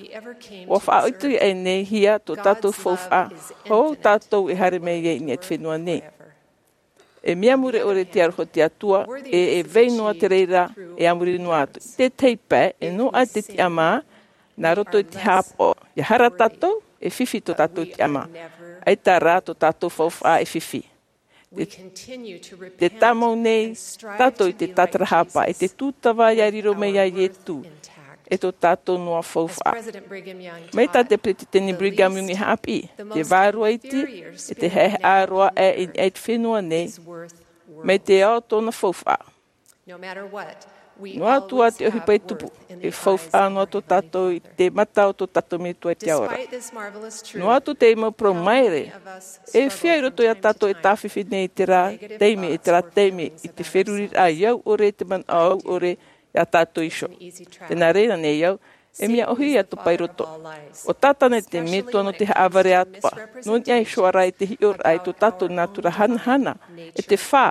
Ua faʻaʻitoʻitohia tō tātou faufaʻa, hou tātou e haere mai ai i niʻa i te fenua nei. E mea mure ʻore te aroha o te Atua, e, e vai noa te reira, e a muri noa atu. Te tei pae, e noaʻa te tiʻamā, nā roto i te haʻapaʻo. ʻIa hara tātou, e fifi tō tātou tiʻamā. ʻAita rā tō tātou faufaʻa e fifi. Te, te tāmau nei tātou i te tātarahapa, e te tūtava ʻia riro mai iā Ietu, e tō tātou noa faufaʻa. Mai tā te Peresideni Brigham Young i haʻapiʻi, te vārua iti, e te haʻehaʻa roa aʻe i niʻa i te fenua nei, mai te ao tōna faufaʻa. Noa atu ā te ʻohipa e tupu, e faufaʻa noa tō tātou i te mata o tō tātou Metua i te ao ra. Noa atu te mau parau maere, e feiā i roto iā tātou e tāfifi nei i terā taime, i terā taime, i te feruriraʻa i au ʻore, te manaʻo au ʻore, iā tātou iho. Tē nā reira nei au, e mea ʻōhie atoʻa paʻi roto. ʻO Tātana te Metua nō te haʻavare atoʻa. Nō niʻa iho ā rā i te hiʻoraʻa i tō tātou nātura hanahana, e te fā.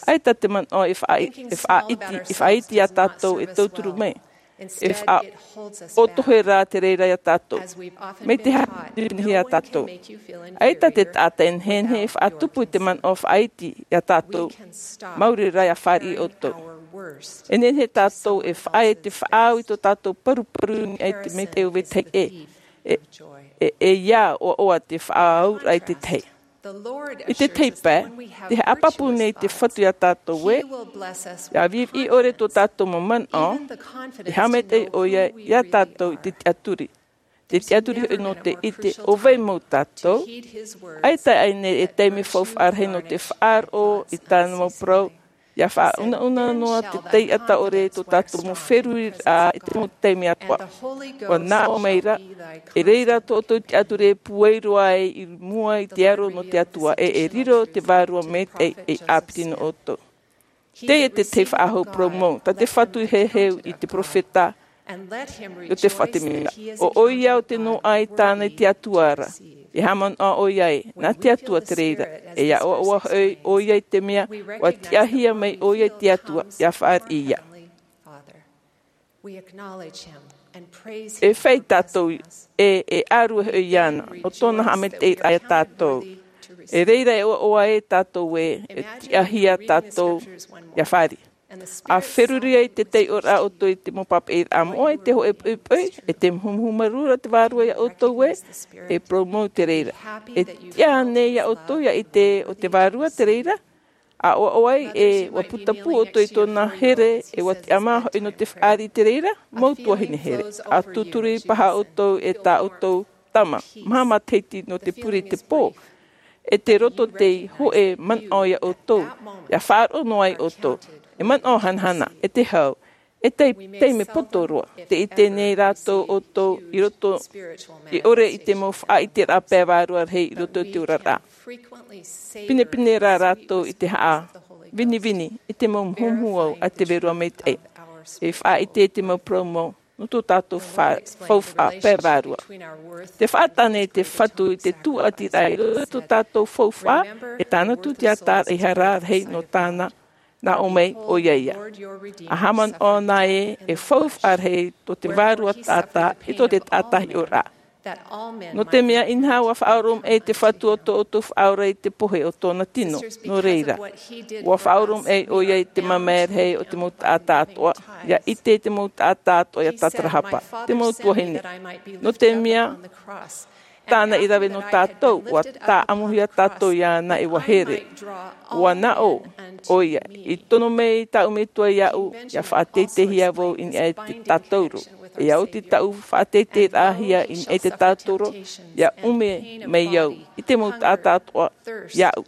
ʻAita te manaʻo e faʻa-, e faʻaiti, e faʻaiti iā tātou e tauturu mai. E faʻaʻotohe rā te reira iā tātou. Mai te haʻapiʻi iā tātou. ʻAita te taʻata e nehenehe e faʻatupu i te manaʻo faʻaiti iā tātou. Mauri rā ʻia fāriʻi ʻoutou. E nehenehe tātou e faʻaʻite faʻaau i tō tātou paruparu i niʻa i te maitaʻi o vetahi ʻē. E, e, e ʻia ʻoaʻoa te faʻaauraʻa i te tahi. I te tei pae, te haʻapāpū nei te Fatu iā tātou ē, ʻia viʻiviʻi ʻore tō tātou mau manaʻo, te haʻamaitaʻi ʻoia iā tātou i te tiʻaturi. Te tiʻaturi hoʻi nō te ʻite ʻo vai mau tātou, ʻaita ʻaita e taime faufaʻa rahi nō te faʻaroʻo i tāna mau parau, ʻia faʻaunauna noa te taiʻata ʻore tō tātou mau feruriraʻa i te mau taime atoʻa. ʻUa nā ʻō mai ra, e reira tō ʻoutou tiʻaturi e pūai roa ai i mua i te aro nō te Atua, e, e riro te vārua maitaʻi ei ʻāpiti nō ʻoutou. Teie te tahi faʻahou parau mau, tā te Fatu i heheu i te peropheta, ʻo te faʻatemera. ʻO ʻoia ʻo te noaʻa i tāna i te Atua ra. E haʻamanaʻo ʻoia ē, nā te Atua te reira. E ʻia ʻoaʻoa hoʻi ʻoia i te mea, ʻua tiʻahia mai ʻoia i te Atua, ʻia fāriʻi ia. E fai tātou ē, e ʻārue hoʻi iāna, nō tōna haʻamaitaʻiraʻa iā tātou. E reira e ʻoaʻoa ē tātou ē, e tiʻahia tātou, ʻia fāriʻi. ʻA feruri ai te taiʻoraʻa ʻoutou i te mau pāpaʻiraʻa moʻa, i te hōʻē poʻipoʻi, e te muhumuhu marū ra te Vārua iā ʻoutou ē, e parau mau te reira. E tiʻa nei iā ʻoutou ia ʻite ʻo te Vārua te reira, ʻa ʻoaʻoa ai ē ʻua putapū ʻoutou i tōna here, e ʻua tiʻamā hoʻi nō te fāriʻi te reira, mau tuahine here. ʻA tūturi paha ʻoutou e tā ʻoutou tama, maha matahiti nō te pure i te pō. E te roto tei hōʻē manaʻo iā ʻoutou, ʻia faʻaroʻo noa ai ʻoutou. E manaʻo hanahana, e te hau, e tai, taime poto roa. Tē ʻite nei rātou ʻoutou i roto, i ʻore i te mau faʻaʻiteraʻa pae vārua rahi i roto i te oraraʻa. Pinepine rā rātou i te haʻavinivini, i te mau muhumuhu a te Vārua Maitaʻi. E faʻaʻite i te mau parau mau, nō tō tātou fa-, faufaʻa pae vārua. Tē faʻatāne te Fatu i te tūʻatiraʻa i roto i tō tātou faufaʻa, e tāna tūtiaraʻa i hara rahi nō tāna, nā ʻō mai ʻoia ia. ʻA haʻamanaʻo na ē, e faufaʻa rahi tō te Vārua Taʻata, i tō te taʻata hiʻoraʻa. Nō te mea inaha ʻua faʻaoromaʻi te Fatu ʻo tō ʻoutou Faʻaora i te pohe o tōna tino, nō reira. ʻUa faʻaoromaʻi ʻoia i te mamae rahi o te mau taʻata atoʻa, ʻia ʻite i te mau taʻata atoʻa ʻia tātarahapa, te mau tuahine. Nō te mea, tāna i rave nō tātou, ʻua tāʻamuhia tātou iāna e ʻua here. ʻUa naʻo, ʻoia, i tono mai tāʻu Metua iāʻu, ʻia faʻateiteihia vau i niʻa i te tātauro. ʻIa oti tāʻu faʻateiteiraʻahia i niʻa i te tātauro, ʻia ʻume mai au, i te mau taʻata atoʻa iāʻu.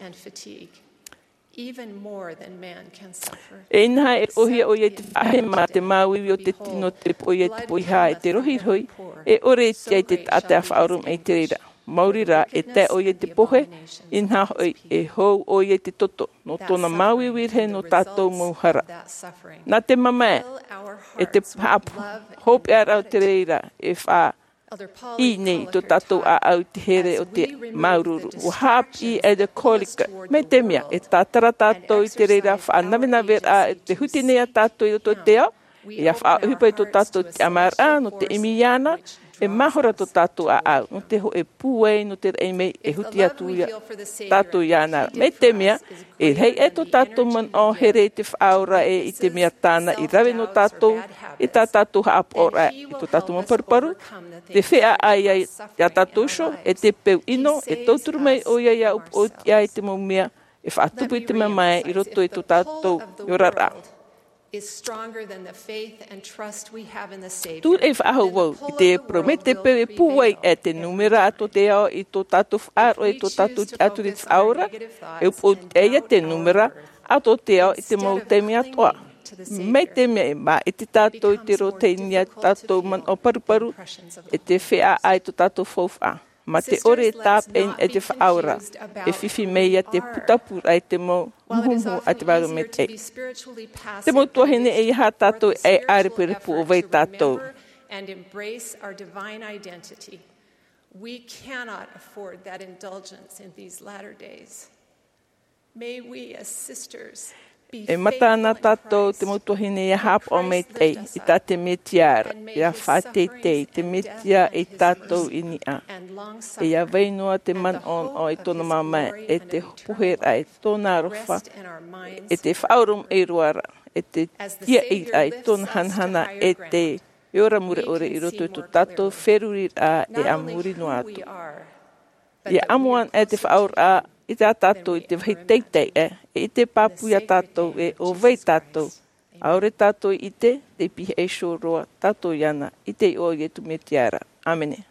E inaha e roʻohia ʻoia i te faʻahema, te māuiui o te tino, te poʻia i te poʻihā, e te rohirohi, e ʻore i tiʻa i te taʻata ʻa faʻaoromaʻi i te reira. Maori rā, e tae ʻoia i te pohe, inaha hoʻi, e hou ʻoia i te toto, nō tōna māuiui rahi nō tātou mau hara. Nā te mamae, e te haʻa-, hopeʻaraʻa o te reira, e faʻa-, i nei i tō tātou ʻāʻau i te here o te māuruuru. ʻUa haʻapiʻi Elder Collicutt, mai te mea, e tātara tātou i te reira faʻanavenaveraʻa e te huti nei iā tātou i roto i te ao, ʻia faʻaʻohipa i tō tātou tiʻamāraʻa, nō te ʻimi iāna, e mahora tō tātou ʻāʻau, nō te hōʻē pūai, nō te raʻi mai, e huti atu ia tātou iāna. Mai te mea, e rahi aʻe tō tātou manaʻo here i te Faʻaora ē, i te mea tāna i rave nō tātou, i tā tātou haʻapaʻoraʻa, i tō tātou mau paruparu, te feiā ʻā iā, iā tātou iho, e te peu ʻino, e tauturu mai ʻoia ʻia upoʻotiʻa i te mau mea, e faʻatupu i te mamae i roto i tō tātou oraraʻa. Tūraʻi faʻahou vau i te parau, mai te peu e pūai aʻe te nūmera a tō te ao i tō tātou faʻaroʻo, i tō tātou tiʻaturi i te Faʻaora, e upoʻotiʻa ia te nūmera a tō te ao i te mau taime atoʻa. Mai te mea e māʻiti tātou i te roto i niʻa i tō tātou manaʻo paruparu, e te feiā ʻā i tō tātou faufaʻa. Mā te ʻore e tāpeʻa i te Faʻaora, e fifi mai ia te putapūraʻa i te mau muhumuhu a te Vārua Maitaʻi. Te mau tuahine, ʻeiaha tātou e ʻarepurepu ʻo vai tātou. And embrace our divine identity. We cannot afford that indulgence in these latter days. May we, as sisters, be faithful in Christ. E mata na tātou te mau tuahine ʻia haʻapaʻo maitaʻi i tā te Mesia ra, ʻia faʻateitei te Mesia e tātou i niʻa. ʻIa vai noa te manaʻo i tōna mamae, e te poheraʻa i tōna aroha, e te faʻaoromaʻi roa ra, e te tiaʻiraʻa i tōna hanahana, e te ora mure ʻore i roto i tō tātou feruriraʻa e a muri noa atu. ʻIa amo ana e te Faʻaora i tā tātou i te vāhi teitei ē, e ʻite pāpū ia tātou ē ʻo vai tātou. ʻAore tātou i ʻite, tei pihaʻi iho roa tātou iāna, i te iʻoa o Iesu Mesia ra. ʻĀmene.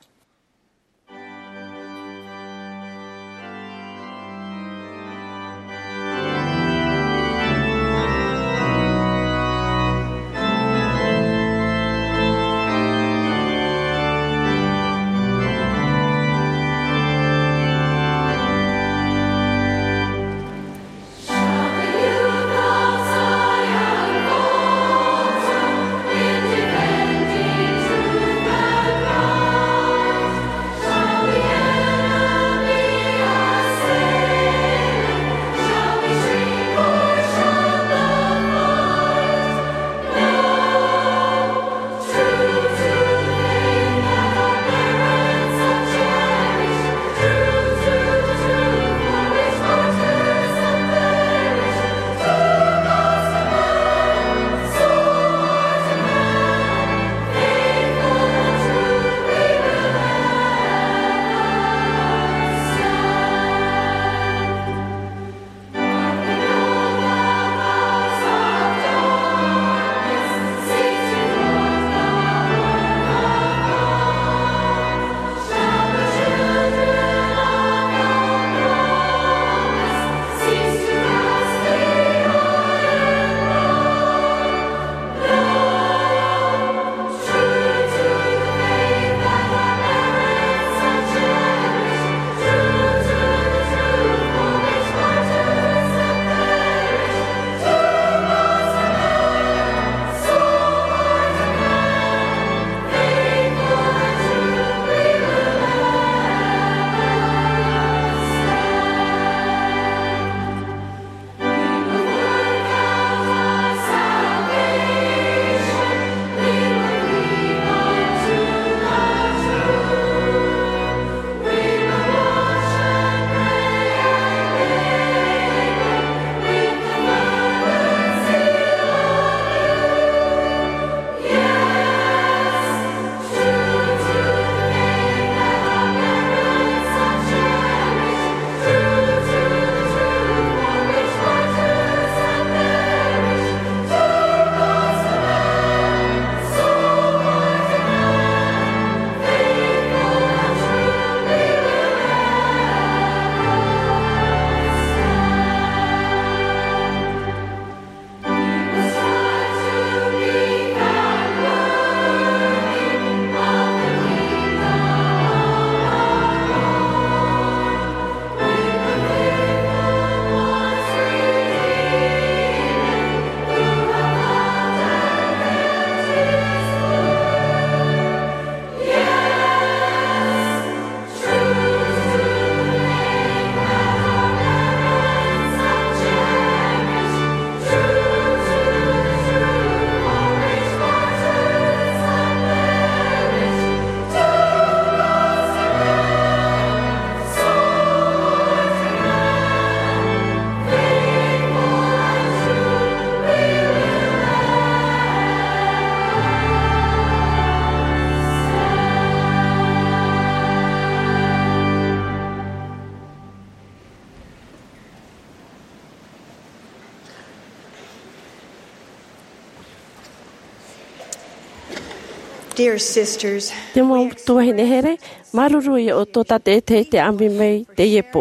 Dear sisters, te mau tuahine here, māuruuru ia ʻoutou tātaʻitahi te ʻāmui mai teie pō.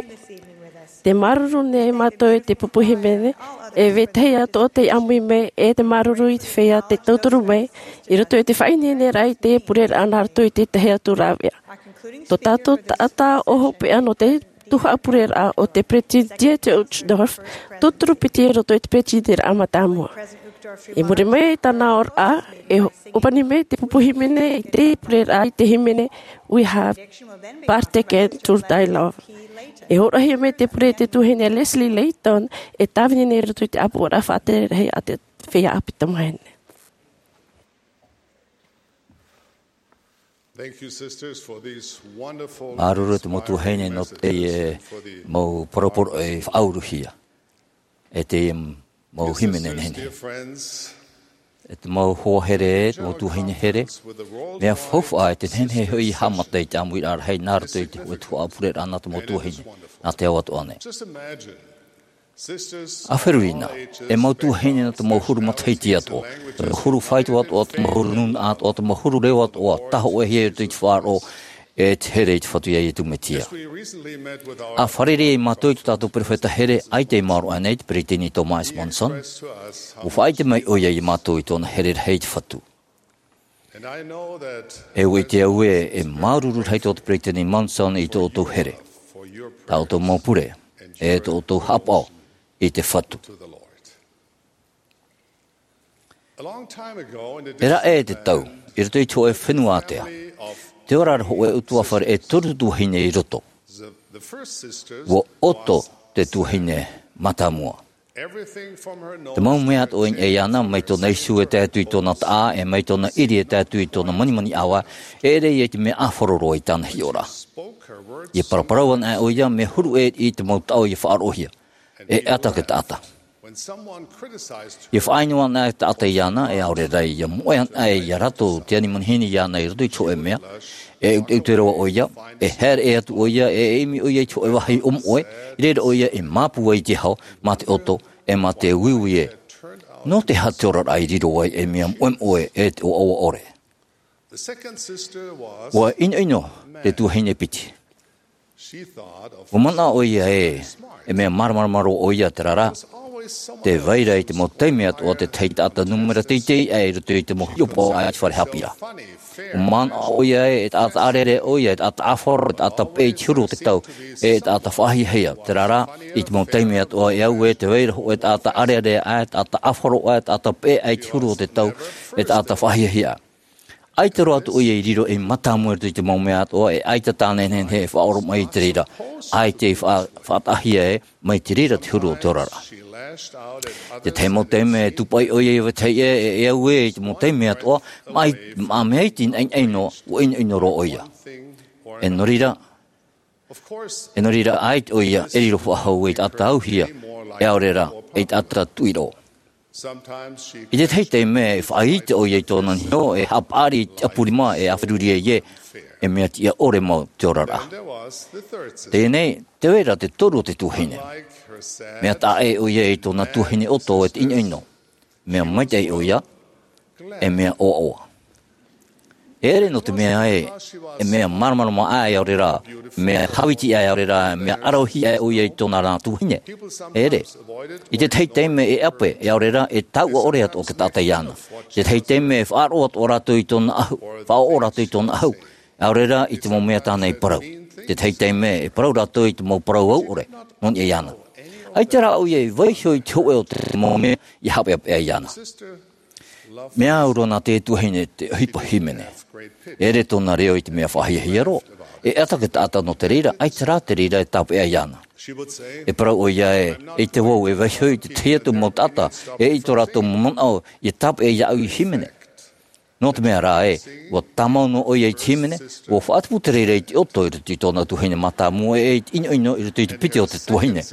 Te māuruuru nei mātou i te pupu hīmene, e vetahi atu o te ʻāmui mai, e te māuruuru i te feiā te tauturu mai, i roto i te faʻaineineraʻa i te pureraʻa nā roto i te tahi atu rāveʻa. Tō tātou taʻata ʻo hopeʻa nō te tuhaʻa pureraʻa ʻo te Peretiteni Dieter Uchtdorf, tauturu piti i roto i te Peretiteniraʻa mātāmua. I muri mai i tāna oraraʻa, e ʻōpani mai te pupu hīmene i te pureraʻa i te hīmene We Have Partaken Through Thy Love. E hōroʻahia mai te pure te tuahine Leslie Layton, e tāvini nei i roto i te ʻāpoʻoraʻa faʻatere rahi a te feiā ʻāpī tamāhine. Thank you, sisters, for these wonderful, māuruuru te mau tuahine nō teie mau poroporoʻi faʻauruhia. E te mau hīmene nehenehe. E te mau hoa here, te mau tuahine here, mea faufaʻa e te nehenehe hoʻi e haʻamata i te ʻāmuiraʻa rahi nā roto i te hōʻē tuhaʻa pureraʻa nā te mau tuahine, nā te ao atoʻa nei. Just imagine. ʻA feruri na, e mau tuahine nō te mau huru matahiti atoʻa, te mau huru faito atoʻa, te mau huru nūnaʻa atoʻa, te mau huru reo atoʻa, tāhōʻēhia i roto i te faʻaroʻo, e te here i te Fatu iā Iesu Mesia. ʻA fārerei mātou i tō tātou perofeta here, ʻaita i maoro aʻenei, te Peretiteni Thomas S. Monson, ʻua faʻaʻite mai ʻoia iā mātou i tōna here rahi i te Fatu. E ʻua ʻite au ē, e māuruuru rahi tō te Peretiteni Monson i tō ʻoutou here, tā ʻoutou mau pure, e tō ʻoutou haʻapaʻo i te Fatu. E raʻe te tau, i roto i te hōʻē fenua ātea, tē ora ra hōʻē ʻutuāfare e toru tuahine i roto. ʻUa ʻoto te tuahine mātāmua. Te mau mea atoʻa i niʻa iāna, mai tōna isu e tae atu i tōna taʻa, e mai tōna ʻiri e tae atu i tōna manimani ʻāvae, e ʻere ia i te mea ʻāfaro roa i tāna hiʻoraʻa. ʻIa paraparau ana ʻoia, mea huru ʻē i te mau taʻo ʻia faʻaroʻohia. E ʻata ke taʻata. ʻIa faʻaʻino ana e taʻata iāna, e ʻaore rā ʻia moʻe ana ʻia rātou te ani manihini iāna i roto i te hōʻē mea, e ʻeuteʻeute roa ʻoia, e haere ʻē atu ʻoia, e ʻimi ʻoia i te hōʻē vāhi ʻōmoʻe, i reira ʻoia e māpū ai i te hau, mā te ʻoto, e mā te uiui ē. Nō te aha te oraraʻa i riro ai e mea moʻemoʻe e te ʻoaʻoa ʻore? ʻUa ʻinoʻino te tuahine piti. ʻUa manaʻo ʻoia ē, e mea māramarama roa ʻoia, terā rā, tē vai ra i te mau taime atoʻa te tahi taʻata nūmera teitei aʻe i roto i te mau hiʻopoʻa i te fare haʻapiʻiraʻa. ʻUa manaʻo ʻoia ē, e taʻata ʻārearea ʻoia, e taʻata ʻāfaro, e taʻata peʻe i te huru o te tau, e taʻata faʻahiahia, terā rā, i te mau taime atoʻa e au ē, tē vai ra hōʻē taʻata ʻārearea aʻe, taʻata ʻāfaro aʻe, taʻata peʻe aʻe i te huru o te tau, e taʻata faʻahiahia. ʻAita roa atu ʻoia i riro ei mātāmua i roto i te mau mea atoʻa, e ʻaita tāna e nehenehe e faʻaoromaʻi i te reira, ʻaita i faʻa-, faʻataʻahia ē, mai te reira te huru o te oraraʻa. Te tahi mau taime e tūpaʻi ʻoia i vetahi ʻē, e, e au ē, i te mau taime atoʻa, mā, mā mea iti naʻinaʻi noa, ʻua ʻinoʻino roa ʻoia. E nō reira, e nō reira, ʻaita ʻoia e riro faʻahou ei taʻata auhia, e ʻaore rā, ei taʻata tuʻiroʻo. I te tahi taime e faʻaʻite ʻoia i tōna niho, e haʻapaʻari i te ʻapu rima, e ʻa feruri ai ē, e mea tiʻa ʻore mau te oraraʻa. Teie nei, tē vai ra te toru o te tuahine. Mea taʻa ʻē ʻoia i tōna tuahine ʻoto e te ʻinoʻino. Mea maitaʻi ʻoia, e mea ʻoaʻoa. E ʻere nō te mea ē, e mea māramarama aʻe, ʻaore rā, mea hāviti aʻe, ʻaore rā, mea ʻaravihi aʻe ʻoia i tōna rā tuahine. E ʻere. I te tahi taime e ʻape, e ʻaore rā, e tauʻa ʻore atoʻa te taʻata iāna. I te tahi taime e faʻaroʻo atoʻa rātou i tōna ʻahu, faʻaroʻo rātou i tōna ʻahu. ʻAore rā, i te mau mea tāna i parau. I te tahi taime e parau rātou i te mau parau au ʻore, nō niʻa iāna. ʻAita rā ʻoia i vaiiho i te hōʻē o te mau mea ʻia haʻapeʻapeʻa iāna. Mea au roa nā te tuahine te ʻohipa hīmene. E ʻere tōna reo i te mea faʻahiahia roa. E ʻata ke taʻata nō te reira, ʻaita rā te reira e tāpeʻa iāna. E parau ʻoia ē, ʻeita vau e vaiiho i te tahi atu mau taʻata, e ʻaita tō rātou mau manaʻo ʻia tāpeʻa iāʻu i hīmene. Nō te mea rā ē, ʻua tāmau noa ʻoia i te hīmene, ʻua faʻatupu te reira i te ʻoto i roto i tōna tuahine mātāmua ē, i te ʻinoʻino i roto i te piti o te tuahine.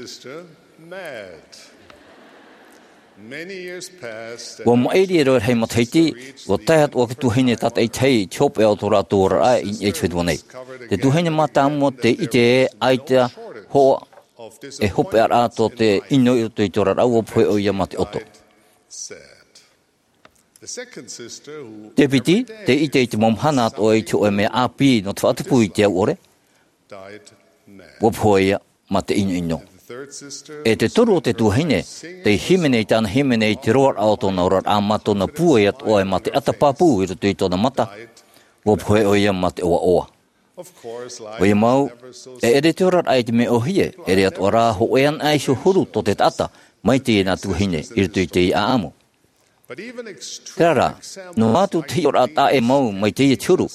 ʻUa maʻiri e rave rahi matahiti, ʻua tae atu ā te tuahine tātaʻitahi i te hopeʻa o tō rātou oraraʻa i niʻa i te fenua nei. Te tuahine mātāmua tē ʻite ē, ʻaita hōʻē hopeʻaraʻa tō te ʻino i roto i te oraraʻa, ʻua pohe ʻoia mā te ʻoto. Te piti, tē ʻite i te mau mahana atoʻa i te hōʻē mea ʻāpī nō te faʻatupu i te au ʻore, ua pohe ia mā te ʻinoʻino. E te toru o te tuahine, tei hīmene i tāna hīmene i te roaraʻa o tōna oraraʻa mā tōna pūai atoʻa e mā te ʻata pāpū i roto i tōna mata, ua pohe ʻoia mā te ʻoaʻoa. ʻOia mau, e ʻere te oraraʻa i te mea ʻōhie, ʻere atoʻa rā, hōʻē anaʻe iho huru tō te taʻata, mai teie nā tuahine, i roto i teie ʻāʻamu. Terā rā, noa atu te hiʻoraʻa taʻa ʻē mau mai teie te huru,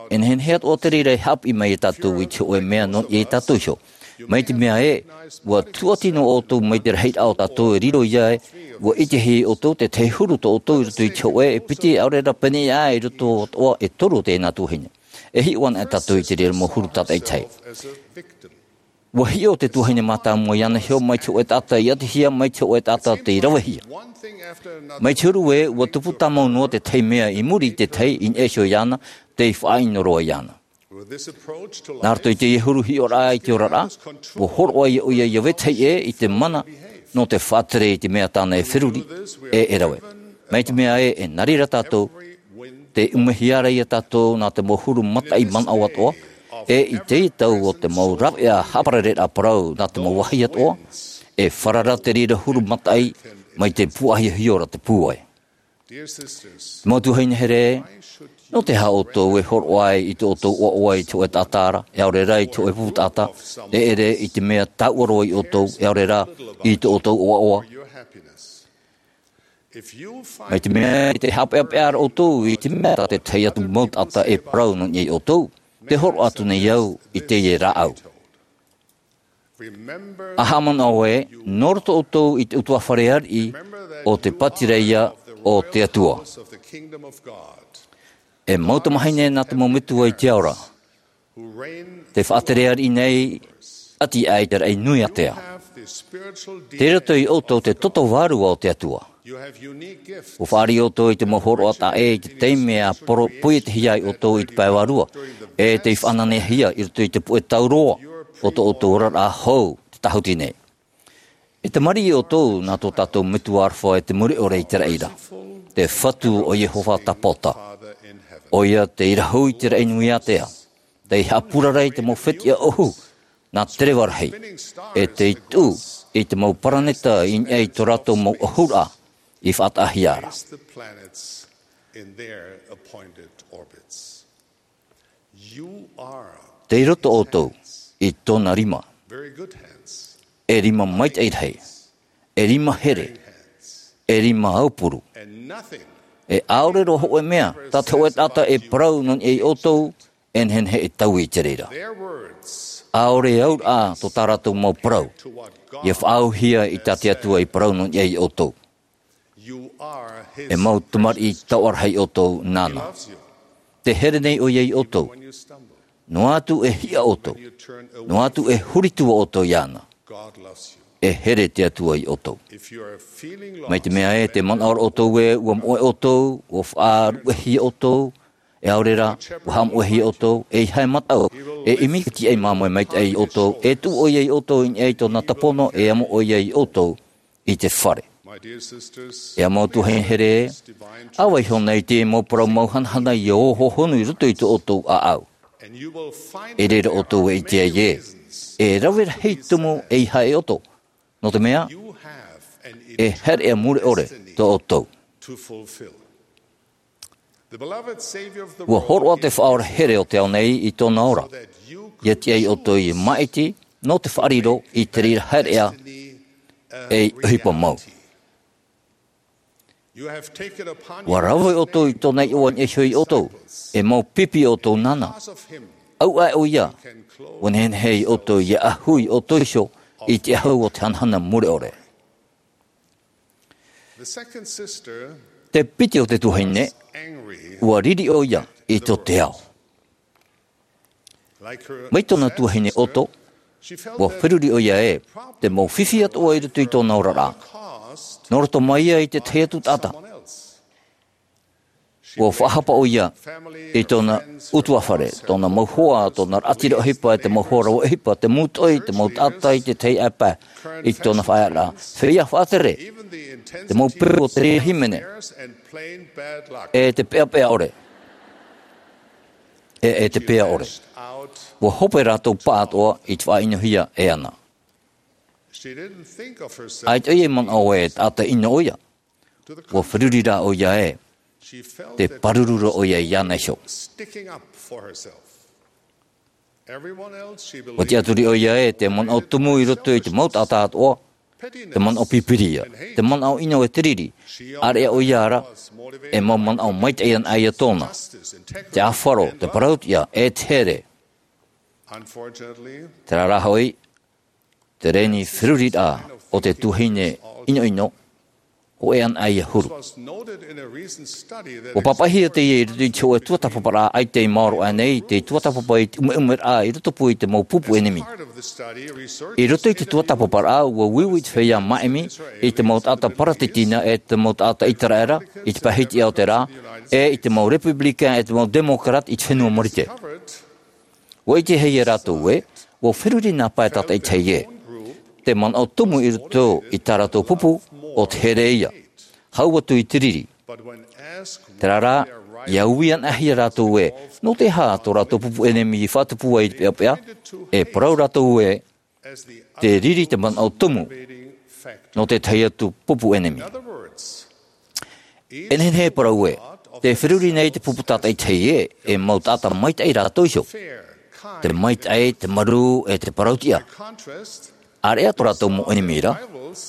e nehenehe atoʻa te reira e haʻapiʻi mai ia tātou i te hōʻē mea nō niʻa ia tātou iho. Mai te mea ē, ua tūʻati noa ʻoutou mai te rahiraʻa o tātou e riro ia ē, ua ʻitehia ʻoutou te tahi huru tō ʻoutou i roto i te hōʻē e piti ʻaore rā pēneiaʻe i roto atoʻa e toru o teie nā tuahine. E hiʻo ana e tātou i te reira mau huru tātaʻitahi. Ua hiʻo te tuahine mātāmua iāna iho mai te hōʻē taʻata i ʻatihia, mai te hōʻē taʻata tei ravehia. Mai te huru ē, ua tupu tāmau noa te tahi mea i muri i te tahi i niʻa iho iāna, tei faʻaʻino roa iāna. Nā roto i teie huru hiʻoraʻa i te oraraʻa, ua hōroʻa ia ʻoia ʻia vetahi ʻē i te mana nō te faʻatere i te mea tāna e feruri, ʻe e rave. Mai te mea ē, e nā reira tātou, tē ʻumehia ra ia tātou nā te mau huru mataʻi manaʻo atoʻa, ʻe i teie tau o te mau raveʻa haʻaparareraʻa parau nā te mau vāhi atoʻa, e farara te reira huru mataʻi mai te pūʻāhiahia ra te pūai. Mau tuahine here, nō te aha ʻoutou e hōroʻa ai i tō ʻoutou ʻoaʻoa i te hōʻē taʻata ra, e ʻaore rā i te hōʻē pupu taʻata, e ʻere i te mea taua roa ia ʻoutou, e ʻaore rā i tō ʻoutou ʻoaʻoa? Mai te mea ē, tē haʻapeʻapeʻa ra ʻoutou i te mea tā te tahi atu mau taʻata e parau nō niʻa ia ʻoutou, tē hōroʻa atu nei au i teie rāʻau. ʻA haʻamanaʻo ē, nō roto ʻoutou i te ʻutuāfare ariʻi o te pātireia o te Atua. E mau tamāhine nā te mau metua i te ao ra, tē faʻatere ariʻi nei, ʻati aʻe i te raʻi nui ātea. Tei roto ia ʻoutou te toto vārua o te Atua. ʻUa fāriʻi ʻoutou i te mau hōroʻa taʻa ʻē i te taime ʻa poro-, poietehia ai ʻoutou i te pae vārua, ʻe tei faʻanahohia i roto i te puʻe tauroa o tō ʻoutou oraraʻa hou, te tāhuti nei. E tamariʻi ʻoutou nā tō tātou Metua aroha e te mure ʻore i te raʻi ra, te Fatu ʻo Iehova Tapaota. ʻOia tei rahu i te raʻi nui ātea, tei haʻapurara i te mau fetiʻa ʻohu nā te reva rahi, ʻe tei tuʻu i te mau paraneta i niʻa i tō rātou mau ʻohuraʻa i faʻataʻahia ra. Tei roto ʻoutou i tōna rima, e rima maitaʻi rahi, e rima here, e rima aupuru, e ʻaore roa hōʻē mea tā te hōʻē taʻata e parau nō niʻa ia ʻoutou, e nehenehe e taui i te reira. ʻAore auraʻa tō tā rātou mau parau ia faʻaauhia i tā te Atua i parau nō niʻa ia ʻoutou. E mau tamariʻi taoʻa rahi ʻoutou nāna. Tē here nei ʻoia ia ʻoutou. Noa atu e hiʻa ʻoutou, noa atu e huri atu ʻoutou iāna, e here te Atua ia ʻoutou. Mai te mea ē, tē manaʻo ra ʻoutou ē ʻua moʻe ʻoutou, ʻua faʻaruʻehia ʻoutou, e ʻaore rā, ʻua haʻamoʻehia ʻoutou, ʻeiaha e mataʻu, e ʻimi i te tiaʻi māmoe maitaʻi ia ʻoutou, e tuʻu ʻoia ia ʻoutou i niʻa i tōna tāpono, e amo ʻoia ia ʻoutou i te fare. E mau tuahine here, ʻa vaiiho nei te mau parau mau hanahana ia ʻō hōhonu i roto i tō ʻoutou ʻāʻau. I reira ʻoutou e ʻite ai ē, e rave rahi tumu ʻeiaha e ʻoto. Nō te mea, e haere mure ʻore tō ʻoutou. ʻUa hōroʻa te Faʻaora here o te ao nei i tōna ora, ia tiʻa ia ʻoutou ia māʻiti nō te faʻariro i te reira haereʻa ei ʻohipa mau. ʻUa rave ʻoutou i tōna iʻoa i niʻa iho ia ʻoutou, e mau pipi ʻoutou nāna. ʻAuʻa ʻoia, ʻua nehenehe ia ʻoutou ia ʻahu ia ʻoutou iho i te ʻahu o te hanahana mure ʻore. Te piti o te tuahine, ʻua riri ʻoia i tō te ao. Mai tōna tuahine ʻoto, ʻua feruri ʻoia ē, te mau fifi atoʻa i roto i tōna oraraʻa, nō roto mai ia i te tahi atu taʻata. Ua faʻahapa ʻoia i tōna ʻutuāfare, tōna mau hoa, tōna raʻatira ʻohipa, e te mau hoa rave ʻohipa, te mūtoʻi, te mau taʻata i te tahi ʻāpae i tōna faʻaearaʻa. Feiā faʻatere, te mau peu o te reira hīmene, e te peʻapeʻa ʻore, e, e te peʻa ʻore. Ua hope rātou pāʻatoʻa i te faʻaʻinohia e ana. ʻAita ʻoia i manaʻo e taʻata ʻino ʻoia. Ua feruri rā ʻoia ē, te pāruru roa ʻoia iāna iho. Ua tiʻaturi ʻoia ē, te manaʻo tumu i roto i te mau taʻata atoʻa, te manaʻo pipiri ia, te manaʻo ʻino e te riri, ʻāreʻa ʻoia ra, e mau manaʻo maitaʻi ana ʻoia tōna, te ʻāfaro, te parautiʻa, e te here. Terā rā hoʻi, te reni feruriraʻa o te tuahine ʻinoʻino, hōʻē ana ʻoia huru. Ua pāpaʻihia teie i roto i te hōʻē tuatāpaparaʻa ʻaita i maoro aʻe nei, te tuatāpapa i te ʻumeʻumeraʻa i roto pū i te mau pupu ʻenemi. I roto i te tuatāpaparaʻa, ua uiui te feiā māʻimi i te mau taʻata Paratitina e te mau taʻata ʻĪteraʻera, i te pae hitiʻa o te rā, e i te mau Republican e te mau Democrat i te fenua Marite. Ua ʻitehia e rātou ē, ua feruri nā pae tātaʻitahi ē. Te manaʻo tumu i roto i tā rātou pupu, ʻo te here ia. Hau atu i te riri. Terā rā, ʻia ui anaʻe hia rātou ē, nō te aha tō rātou pupu ʻenemi i faʻatupu ai i te peʻapeʻa, e parau rātou ē, te riri te manaʻo tumu nō te tahi atu pupu ʻenemi. E nehenehe e parau ē, te feruri nei te pupu tātaʻitahi ē, e mau taʻata maitaʻi rātou iho. Te maitaʻi, te marū, e te parautiʻa. ʻĀreʻa tō rātou mau ʻenemi ra,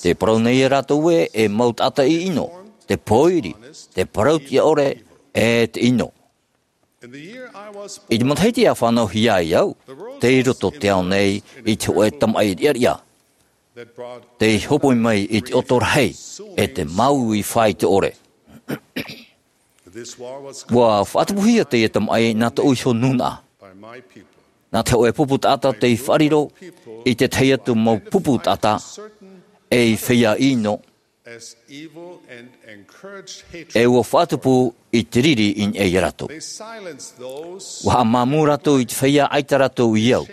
te parau nei e rātou ē, e mau taʻata ʻino, te pōiri, te parautiʻa ʻore, e te ʻino. I te matahiti ʻa fānauhia ai au, tei roto te ao nei i te hōʻē tamaʻi riʻariʻa. Tei hopoi mai i te ʻoto rahi, e te māuiui fāito ʻore. Ua faʻatupuhia teie tamaʻi nā tōʻu iho nūnaʻa. Nā te hōʻē pupu taʻata tei faʻariro i te tahi atu mau pupu taʻata, ei feiā ʻino, e ua faʻatupu i te riri i niʻa ia rātou. Ua haʻamāmū rātou i te feiā ʻaita rātou i au.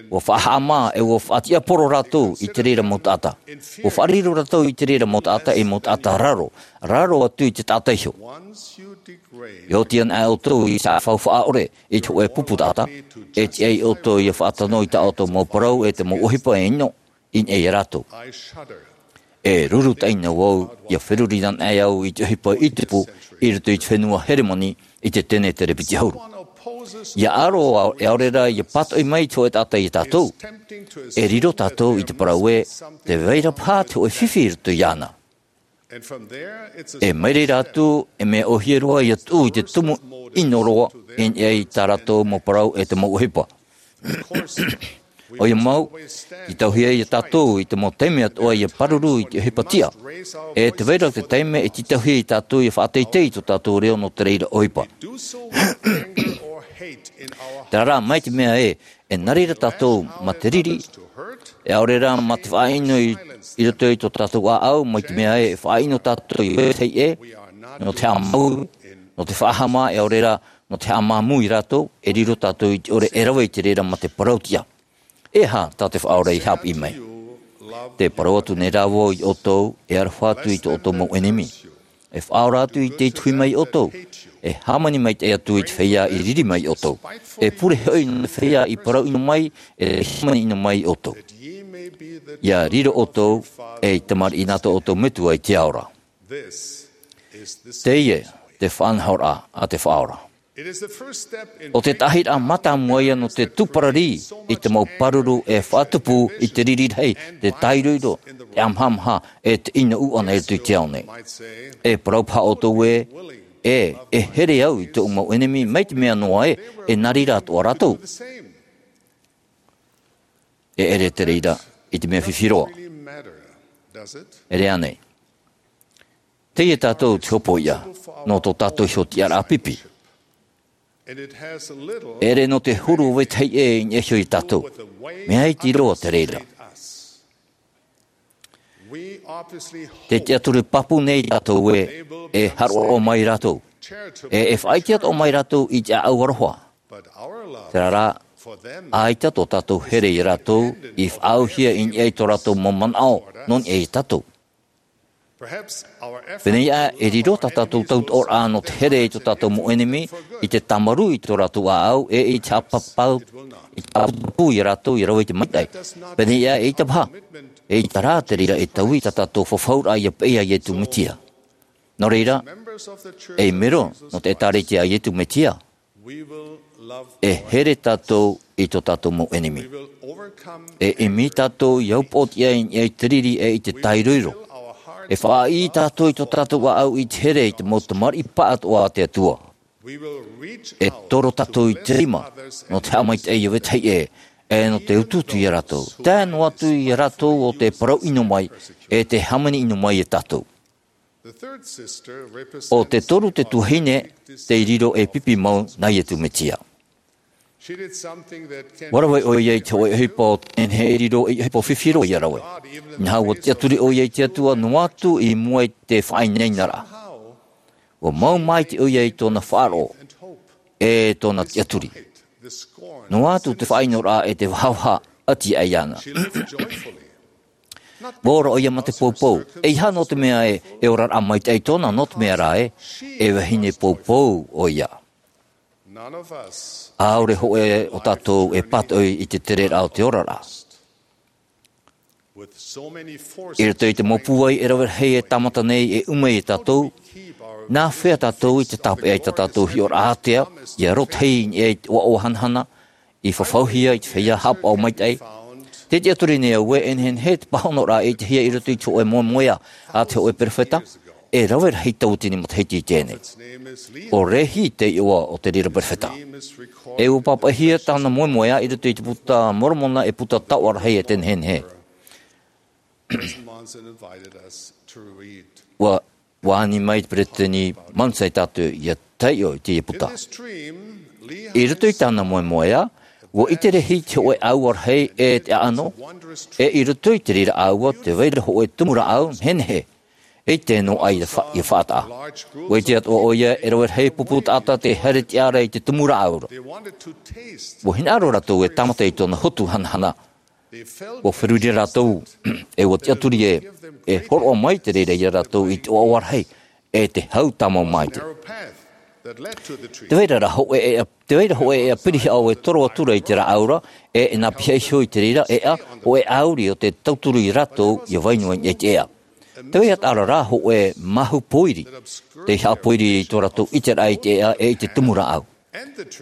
Ua faʻahaʻamā e ua faʻatiʻaporo rātou i te reira mau taʻata. Ua faʻariro rātou i te reira mau taʻata ei mau taʻata raro, raro atu i te taʻata iho. E oti ana ʻoutou i te faufaʻa ʻore i te hōʻē pupu taʻata, e tiʻa ia ʻoutou ia faʻatano i tā ʻoutou mau parau e te mau ʻohipa e ʻino i niʻa ia rātou. E ruru taʻina vau, ʻia feruri anaʻe au i te ʻohipa i tupu i roto i te fenua Heremani i te tenetere piti ʻahuru. ʻIa aro, e ʻaore rā ʻia pātoʻi mai te hōʻē taʻata ia tātou. E riro tātou i te parau ē, tē vai ra paha te hōʻē fifi i roto iāna. E mai reira atu, e mea ʻōhie roa ʻia tuʻu i te tumu ʻino roa i niʻa i tā rātou mau parau e te mau ʻohipa. ʻOia mau, tītauhia ia tātou i te mau taime atoʻa ʻia pāruru i te ʻohipa tiʻa. E tē vai ra te taime e tītauhia ia tātou ʻia faʻateitei i tō tātou reo nō te reira ʻohipa. Terā rā, mai te mea ē, e nā reira tātou mā te riri, e ʻaore rā mā te faʻaʻino i, i roto i tō tātou ʻāʻau, mai te mea ē, e faʻaʻino tātou i vetahi ʻē, nō te haʻamāuiui, nō te faʻahama, e ʻaore rā, nō te haʻamāmū ia rātou, e riro tātou i te ʻore e rave i te reira mā te parautiʻa. E aha tā te Faʻaora i haʻapiʻi mai? Tē parau atu nei rā vau ia ʻoutou, e aroha atu i tō ʻoutou mau ʻenemi. E faʻaora atu i tei tuhi mai ia ʻoutou. E hāmani maitaʻi atu i te feiā i riri mai ia ʻoutou. E pure hoʻi nō te feiā i parau ʻino mai, e hāmani ʻino mai ia ʻoutou. ʻIa riro ʻoutou, ei tamariʻi nā tō ʻoutou Metua i te ao ra. Teie te faʻanahoraʻa a te Faʻaora. ʻO te tahi rā mātāmua ia nō te tūpararī i te mau pāruru e faʻatupu i te riri rahi, te tāiroiro, te ʻamahamaha, e te ʻino ʻuʻana i roto i te ao nei. E parau paha ʻoutou ē, e, e here au i tōʻu mau ʻenemi, mai te mea noa ē, e nā reira atoʻa rātou. E ʻere te reira i te mea fifi roa. ʻEre ānei? Teie tātou te hopoiʻa, nō tō tātou iho tiʻaraʻa pipi. E ʻere nō te huru o vetahi ʻē i niʻa iho ia tātou. Mea iti roa te reira. Te tiʻaturi pāpū nei tātou ē, e haroʻaroʻa mai rātou. E e faʻaʻite atoʻa mai rātou i te ʻāʻau aroha. Terā rā, ʻaita tō tātou here iā rātou i faʻaauhia i niʻa i tō rātou mau manaʻo nō niʻa iā tātou. Pēnei aʻe e riro tā tātou tautooraʻa nō te here i tō tātou mau ʻenemi, i te tāmarū i tō rātou ʻāʻau e i te haʻapāpū, i te haʻapāpū iā rātou ia rave i te maitaʻi. Pēnei aʻe e ʻaita paha, e ʻaita rā te reira e taui tā tātou fafauraʻa ia peʻe iā Iesu Mesia. Nō reira, ei mero nō te ʻĒtārētia a Iesu Mesia, e here tātou i tō tātou mau ʻenemi. E ʻimi tātou i te upoʻotiʻa i niʻa i te riri e i te tāiroiro. E faʻaʻī tātou i tō tātou ʻāʻau i te here i te mau tamariʻi pāʻatoʻa a te Atua. E toro tātou i te rima nō te haʻamaitaʻi i ō vetahi ʻē, e nō te utuutu iā rātou. Tae noa atu iā rātou ʻo tē parau ʻino mai, e tē hāmani ʻino mai iā tātou. ʻO te toru te tuahine tei riro ei pipi mau nā Iesu Mesia. ʻUa rave ʻoia i te hōʻē ʻohipa ʻo te nehenehe e riro ei ʻohipa fifi roa ia rave. Inaha ʻua tiʻaturi ʻoia i te Atua noa atu i mua i te faʻainainaraʻa. ʻUa mau maite ʻoia i tōna faʻaroʻo, e tōna tiʻaturi. Noa atu te faʻaʻinoraʻa e te vahavaha ʻati aʻe iāna. ʻUa ora ʻoia mā te poupou, ʻeiaha nō te mea ē, e oraraʻa maitaʻi tōna, nō te mea rā ē, e vahine poupou ʻoia. ʻAore hōʻē o tātou e pātoʻi i te tereraʻa o te oraraʻa. I roto i te mau pūai e rave rahi e tāmata nei e ʻuma iā tātou, nā hea tātou i te tāpeʻa i tā tātou hiʻoraʻa ātea, ia rotahi i niʻa i te ʻoaʻoa hanahana, i fafauhia i te feiā haʻapaʻo maitaʻi. Tē tiʻaturi nei au ē, e nehenehe te pāhonoraʻa e ʻitehia i roto i te hōʻē moemoeā a te hōʻē perofeta, e rave rahi tauatini matahiti i teie nei. ʻO Lehi te iʻoa o te reira perofeta. E ʻua pāpaʻihia tāna moemoeā i roto i te Puta a Moromona e puta taoʻa rahi e te nehenehe. ʻUa, ʻua ani mai te Peresideni Monson iā tātou ia taiʻo i teie puta. I roto i tāna moemoeā, ʻua ʻite Lehi te hōʻē ʻāua rahi e te ʻāʻano, e i roto i te reira ʻāua tē vai ra hōʻē tumu rāʻau nehenehe, e ʻite noa aʻe ia fa-, ia faʻataʻa. ʻUa ʻite atoʻa ʻoia e rave rahi pupu taʻata tē haere tiʻa ra i te tumu rāʻau ra. ʻUa hinaʻaro rātou e tāmata i tōna hotu hanahana. ʻUa feruri rātou, e ʻua tiʻaturi ē, e hōroʻa mai te reira iā rātou i te ʻoaʻoa rahi, e te hau tāmau maitaʻi. Tē vai ra hōʻē ʻēʻa, tē vai ra hōʻē ʻēʻa pirihaʻo e toro atu ra i te rāʻau ra, e, e nā pihaʻi iho i te reira ʻēʻa, hōʻē ʻāuri ʻo tē tauturu iā rātou ia vai noa i te ʻēʻa. Tē vai atoʻa ra hōʻē māhu pōiri, tei haʻapōiri i tō rātou ʻiteraʻa i te ʻēʻa e i te tumu rāʻau.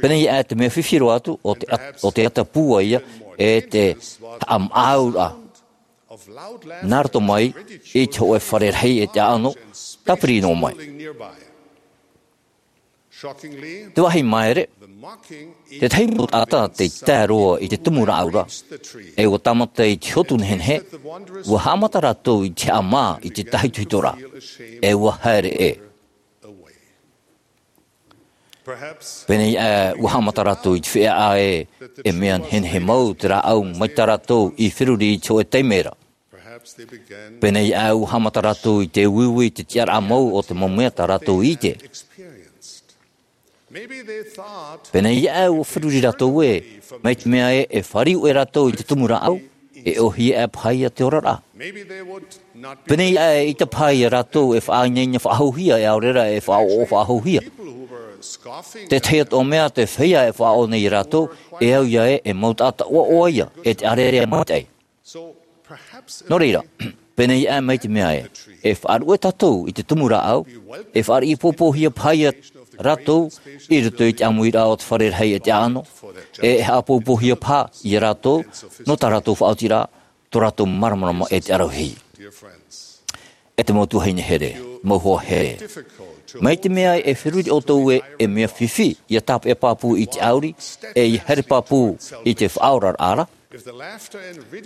Pēnei aʻe te mea fifi roa atu, ʻo te at-, ʻo te ata pūai ia, e te haʻamāʻauraʻa. Nā roto mai, i te hōʻē fare rahi e te ʻāʻano, tāpiri noa mai. Te vāhi māere, tētahi mau taʻata tei tae roa i te tumu rāʻau ra, e ʻua tāmata i te hotu nehenehe, ʻua haʻamata rātou i te haʻamā i te tāhitohito ra, e ʻua haere ʻē. Pēnei aʻe ʻua haʻamata rātou i te feiā ē, e mea nehenehe mau te rāʻau mai tā rātou i feruri i te hōʻē taime ra. Pēnei aʻe ʻua haʻamata rātou i te uiui i te tiʻaraʻa mau o te mau mea tā rātou i ʻite. Pēnei aʻe ʻua feruri rātou ē, mai te mea ē, e fāriu ʻē rātou i te tumu rāʻau, e ʻōhie aʻe paha ia te oraraʻa. Pēnei aʻe ʻaita paha ia rātou e faʻainaina faʻahouhia, e ʻaore rā e faʻaʻoʻo faʻahouhia. Tētahi atoʻa mea te feiā e faʻaʻō nei ia rātou, e au ia ē, e mau taʻata ʻoaʻoa ia, e te ʻārearea maitaʻi. Nō reira, pēnei aʻe mai te mea ē, e faʻaruʻe tātou i te tumu rāʻau, e faʻariʻi poupouhia paha ia rātou i roto i te ʻāmuiraʻa o te fare rahi e te ʻāʻano, e haʻapoupouhia paha ia rātou, nō tā rātou faʻaotiraʻa, tō rātou māramarama e te ʻaravihi. E te mau tuahine here, mau hoa here. Mai te mea e feruri ʻoutou ē, e mea fifi ia tāpeʻa pāpū i te ʻāuri, e ia haere pāpū i te faʻaoraraʻa ra.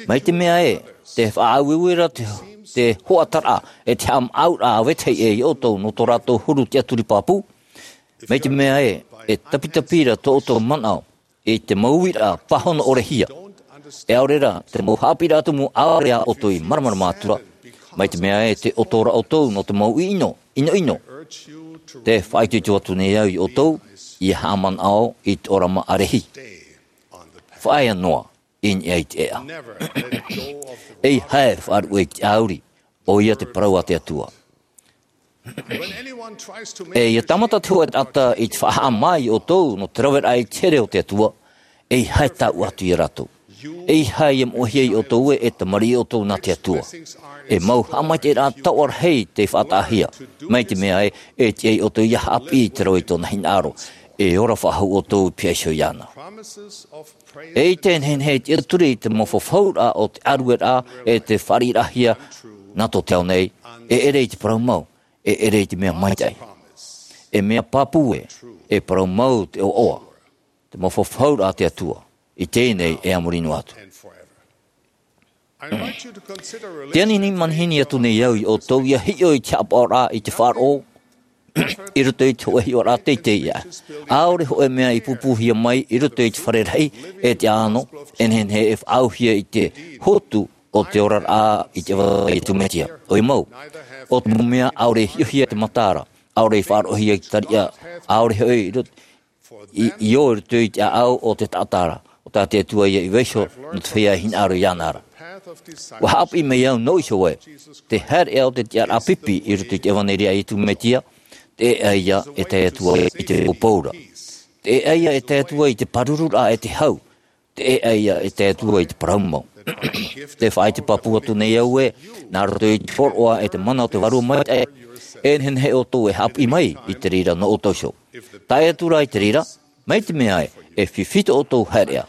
Mai te mea ē, te faʻaueue ra te, te hoʻataraʻa, e te haʻamāʻauraʻa a vetahi ʻē ia ʻoutou nō tō rātou huru tiʻaturi pāpū. Mai te mea ē, e tapitapi ra tō ʻoutou manaʻo i te mau uiraʻa pāhono ʻore hia. E ʻaore rā, te mau haʻapiʻiraʻa tumu ʻaore ā ʻoutou i māramarama atu ra. Mai te mea ē, tē ʻoto ra ʻoutou nō te mau ʻino, ʻinoʻino. Te faʻaitoito atu nei au iā ʻoutou ia haʻamanaʻo i te ʻōrama ʻārehi. Faʻaea noa i niʻa i te ʻēʻa. ʻEiaha e faʻaruʻe i te ʻāuri, ʻoia te parau a te Atua. E ia tāmata te hōʻē taʻata i te faʻahaʻamā iā ʻoutou nō te raveraʻa i te here o te Atua, ʻeiaha e taʻu atu iā rātou. ʻEiaha ia moʻehia iā ʻoutou ē, e tamariʻi ʻoutou nā te Atua. E mau haʻamaitaʻiraʻa taoʻa rahi tei faʻataʻahia, mai te mea ē, e tiʻa iā ʻoutou ia haʻapiʻi i te rave i tōna hinaʻaro. E ora faʻahou ʻoutou i te piha iho iāna. E ʻite e nehenehe e tiʻaturi i te mau fafauraʻa o te ʻārueraʻa e te fāriʻiraʻahia nā tō te ao nei, e ʻere i te parau mau, e ʻere i te mea maitaʻi. E mea pāpū ē, e parau mau te ʻoaʻoa, te mau fafauraʻa a te Atua, i teie nei e a muri noa atu. Te ani nei manihini atu nei au iā ʻoutou ia hiʻo i te haʻapaʻoraʻa i te faʻaroʻo i roto i te hōʻē hiʻoraʻa teitei ʻē. ʻAore hōʻē mea i pūpūhia mai i roto i te fare rahi e te ʻāʻano, e nehenehe e faʻaauhia i te hotu o te oraraʻa i te ʻEvangeliu a Iesu Mesia. ʻOia mau, ʻo te mau mea ʻaore i hiʻohia i te mataara, ʻaore i faʻaroʻohia i te tariʻa, ʻaore hoʻi i roto i, i ō i roto i te ʻāʻau o te taʻata ra, ʻo tā te Atua ia i vaiiho nō te feiā e hinaʻaro iāna ra. ʻUa haʻapiʻi mai au nō iho ē, te haereʻa o te tiʻaraʻa pipi i roto i te ʻEvangeliu a Iesu Mesia, te ʻēʻa ia e tae atu ai i te poupou ra. Te ʻēʻa ia e tae atu ai i te pārururaʻa e te hau, te ʻēʻa ia e tae atu ai i te parau mau. Te faʻaʻite pāpū atu nei au ē, nā roto i te hōroʻa e te mana o te Vārua Maitaʻi, e nehenehe ʻoutou e haʻapiʻi mai i te reira nō ʻoutou iho. Tae atu ra i te reira, mai te mea ē, e fifi tō ʻoutou haereʻa.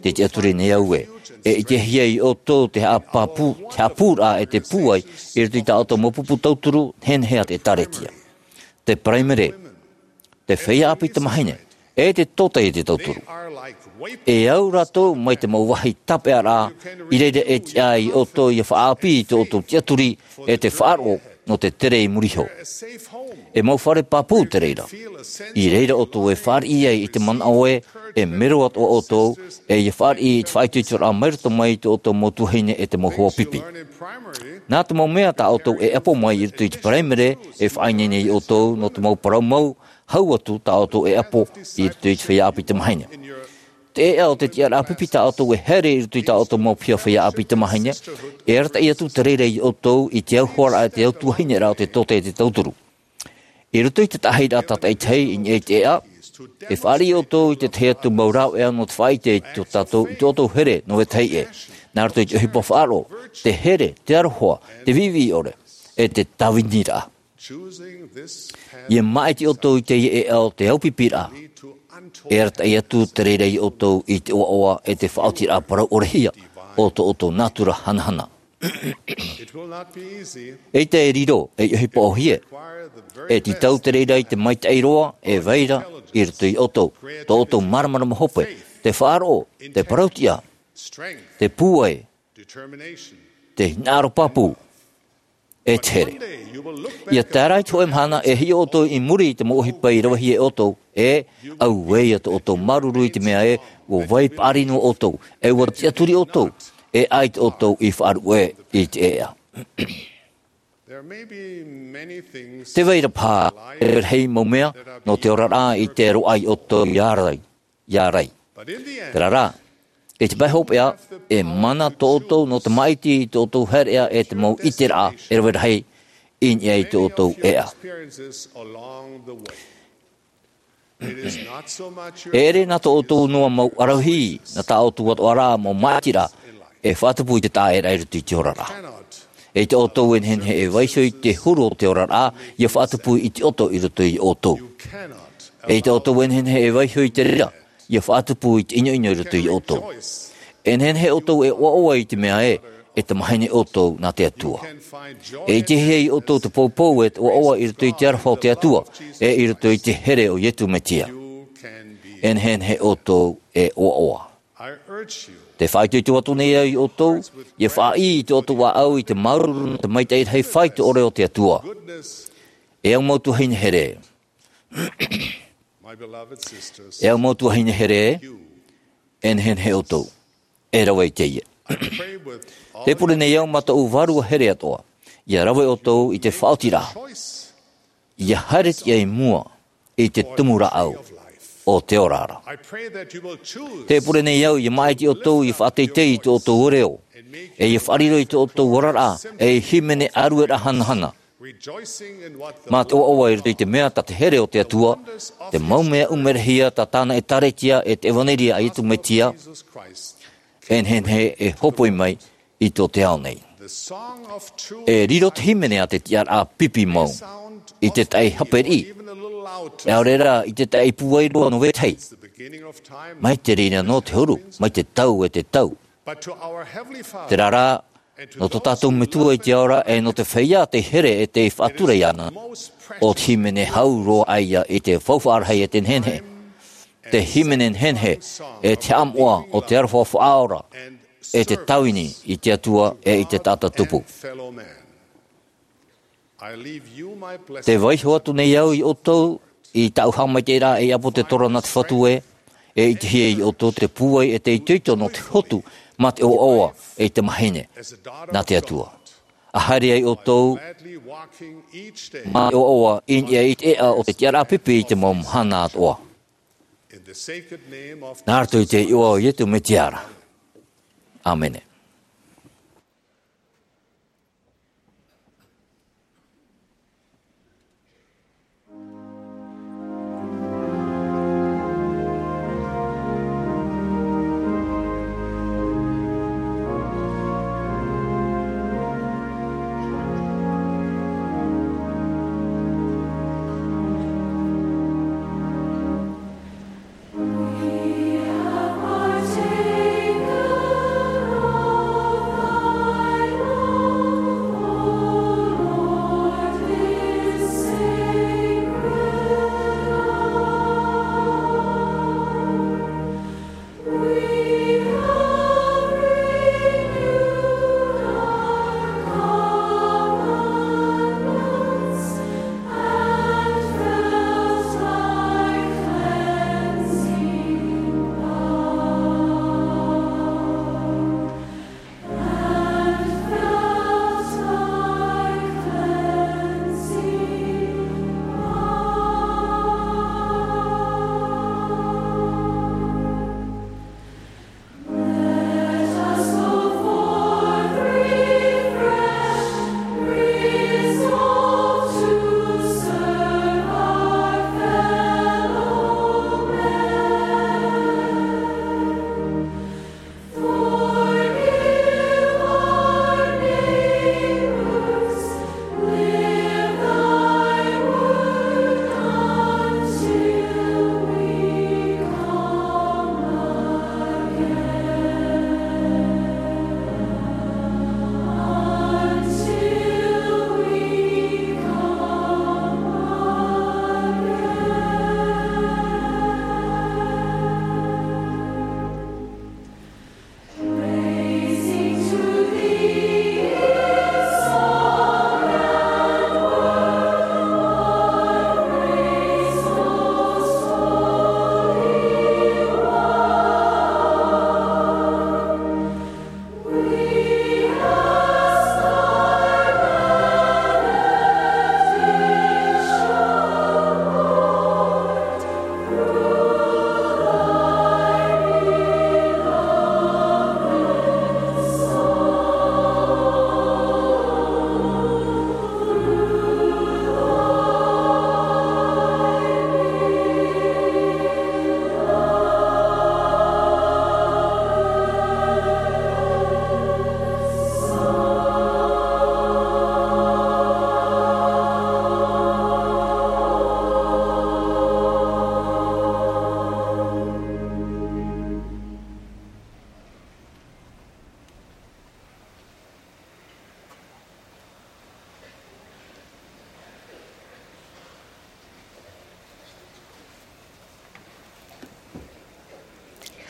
Te tiʻaturi nei au ē, e ʻitehia iā ʻoutou te haʻapāpū, te haʻapūraʻa e te pūai i roto i tā ʻoutou mau pupu tauturu, nehenehe ā te ʻĒtārētia. Te paraimere, te feiā ʻāpī tamāhine, e te tōtaiete tauturu. E au rātou mai te mau vāhi tāpeʻaraʻa, i reira e tiʻa iā ʻoutou ia faʻaʻāpī i tō ʻoutou tiʻaturi, e te faʻaroʻo nō te tere i muri iho. E mau fare pāpū te reira. I reira ʻoutou e fāriʻi ai i te manaʻo ē, e mero atoʻa ʻoutou, e ia fāriʻi i te faʻaitoitoraʻa mai roto mai i tō ʻoutou mau tuahine e te mau hoa pipi. Nā te mau mea tā ʻoutou e ʻapo mai i roto i te paraimere, e faʻaineine iā ʻoutou nō te mau parau mau, hau atu tā ʻoutou e ʻapo i roto i te feiā ʻāpī tamāhine. Te ʻēʻa o te tiʻaraʻa pipi tā ʻoutou e haere i roto i tā ʻoutou mau piha feiā ʻāpī tamāhine, e arataʻi atu te reira iā ʻoutou i te auhoaraʻa e te autuahineraʻa o te tōtaiete tauturu. I roto i te taʻahiraʻa tātaʻitahi i niʻa i te ʻēʻa, e fāriʻi ʻoutou i te tahi atu mau rāveʻa nō te faʻaʻite i tō tātou, i tō ʻoutou here nō vetahi ʻē. Nā roto i te ʻohipa faʻaroʻo, te here, te aroha, te viʻiviʻi ʻore, e te tāviniraʻa. Ia māʻiti ʻoutou i teie ʻēʻa o te aupipiraʻa. E arataʻi atu te reira iā ʻoutou i te ʻoaʻoa e te faʻaotiraʻa parau ʻore hia o tō ʻoutou nātura hanahana. ʻEita e riro ei ʻohipa ʻōhie. E tītau te reira i te maitaʻi roa e vai ra i roto iā ʻoutou, tō ʻoutou māramarama hope, te faʻaroʻo, te parau-tiʻa, te pūai, te hinaʻaro pāpū, e te here. Ia tae ra i te hōʻē mahana e hiʻo ʻoutou i muri i te mau ʻohipa i ravehia e ʻoutou, e auē ia tō ʻoutou māuruuru i te mea ē, ʻua vai paʻari noa ʻoutou, e ʻua tiʻaturi ʻoutou, e ʻaita ʻoutou i faʻaruʻe i te ʻēʻa. Te vai ra paha e rave rahi mau mea nō te oraraʻa i te roaʻa iā ʻoutou i ārai, i ārai. Terā rā, i te pae hopeʻa, e mana tō ʻoutou nō te māʻiti i tō ʻoutou haereʻa e te mau ʻiteraʻa e rave rahi i niʻa i tō ʻoutou ʻēʻa. E ʻere nā tō ʻoutou noa mau ʻaravihi, nā tā ʻoutou atoʻa ra mau māʻitiraʻa e faʻatupu i te taʻaʻēraʻa i roto i te oraraʻa. E ʻaita ʻoutou e nehenehe e vaiiho i te huru o te oraraʻa, ia faʻatupu i te ʻoto i roto iā ʻoutou. E ʻaita ʻoutou e nehenehe e vaiiho i te reira, ia faʻatupu i te ʻinoʻino i roto iā ʻoutou. E nehenehe ʻoutou e ʻoaʻoa i te mea ē, e tamāhine ʻoutou nā te Atua. E ʻitehia iā ʻoutou te poupou e te ʻoaʻoa i roto i te aroha o te Atua, e i roto i te here o Iesu Mesia. E nehenehe ʻoutou e ʻoaʻoa. Te faʻaitoito atu nei au iā ʻoutou, ia faʻaʻī i tō ʻoutou ʻāʻau i te māuruuru nō te maitaʻi rahi faito ʻore o te Atua. E au mau tuahine here. E au mau tuahine here, e nehenehe ʻoutou e rave i teie. Te pure nei au mā tōʻu vārua here atoʻa, ia rave ʻoutou i te faʻaotiraʻa. ʻIa haere tiʻa i mua i te tumu rāʻau o te ora ra. Te pure nei au ʻia māʻiti ʻoutou ʻia faʻateitei i tō ʻoutou reo, ʻe ʻia faʻariro i tō ʻoutou oraraʻa, ʻe i hīmene ʻārueraʻa hanahana. Mā te ʻoaʻoa i roto i te mea tā te here o te Atua, te mau mea ʻumerehia tā tāna ʻēkālesia ʻe te ʻevanelia a Iesu Mesia, e nehenehe e hōpoi mai i tō te ao nei. E riro te hīmene a te tiʻaraʻa pipi mau i te tahi hape riʻi, ʻaore rā i te tahi pūai roa nō vetahi. Mai te reira nō te huru, mai te tau e te tau. Terā rā, nō tō tātou Metua i te ao ra, ʻe nō te feiā tei here ʻe tei faʻatura iāna, ʻo te hīmene hau roa ʻaia i te faufaʻa rahi e te nehenehe. Te hīmene nehenehe, ʻe te haʻamoʻa o te aroha faʻaora, ʻe te tāvini i te Atua ʻe i te taʻata tupu. Te vaiho atu nei au ia ʻoutou i tāʻu haʻamaitaʻiraʻa ei ʻāpōsetolo nā te Fatu ē, e ʻitehia ia ʻoutou te pūai ʻe te itoito nō te hotu mā te ʻoaʻoa ʻe te mahine nā te Atua. ʻA haere ai ʻoutou mā te ʻoaʻoa i niʻa i te ʻēʻa o te tiʻaraʻa pipi i te mau mahana atoʻa. Nā roto i te iʻoa o Iesu Mesia ra. ʻĀmene.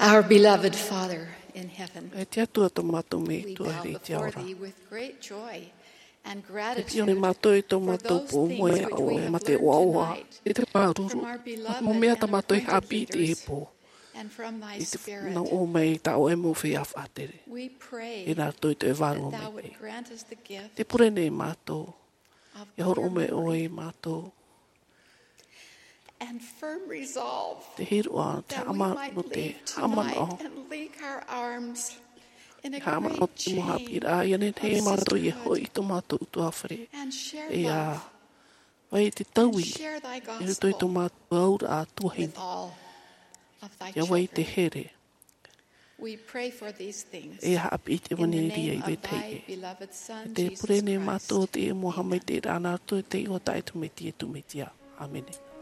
Our beloved Father in heaven, E te Atua tō mātou Metua i te ao ra. With great joy and gratitude, E pio nei mātou i tō mātou pō moe ʻaʻoe mā te ʻoaʻoa, i te pāruru, mā te mau mea tā mātou i haʻapiʻi i teie pō. I te nau ʻō mai tā ʻoe mau feiā faʻatere. E nā roto i te vārua mai te. Te pure nei mātou, ʻia hōroʻa mai ʻoe ia mātou. te hīroʻa, te haʻamanaʻo, te haʻamanaʻo. Haʻamanaʻo te mau haʻapiʻiraʻa, ia nehenehe mātou e hoʻi i tō mātou ʻutuāfare. E ia vai te taui i roto i tō mātou auraʻa tuahine. Ia vai te here. E haʻapiʻi te ʻevanelia i te tahi. E te pure nei mātou o te ʻē mau haʻamaitaʻiraʻa nā roto i te iʻoa taʻa ʻe tū Mesia, tū Mesia. ʻĀmene.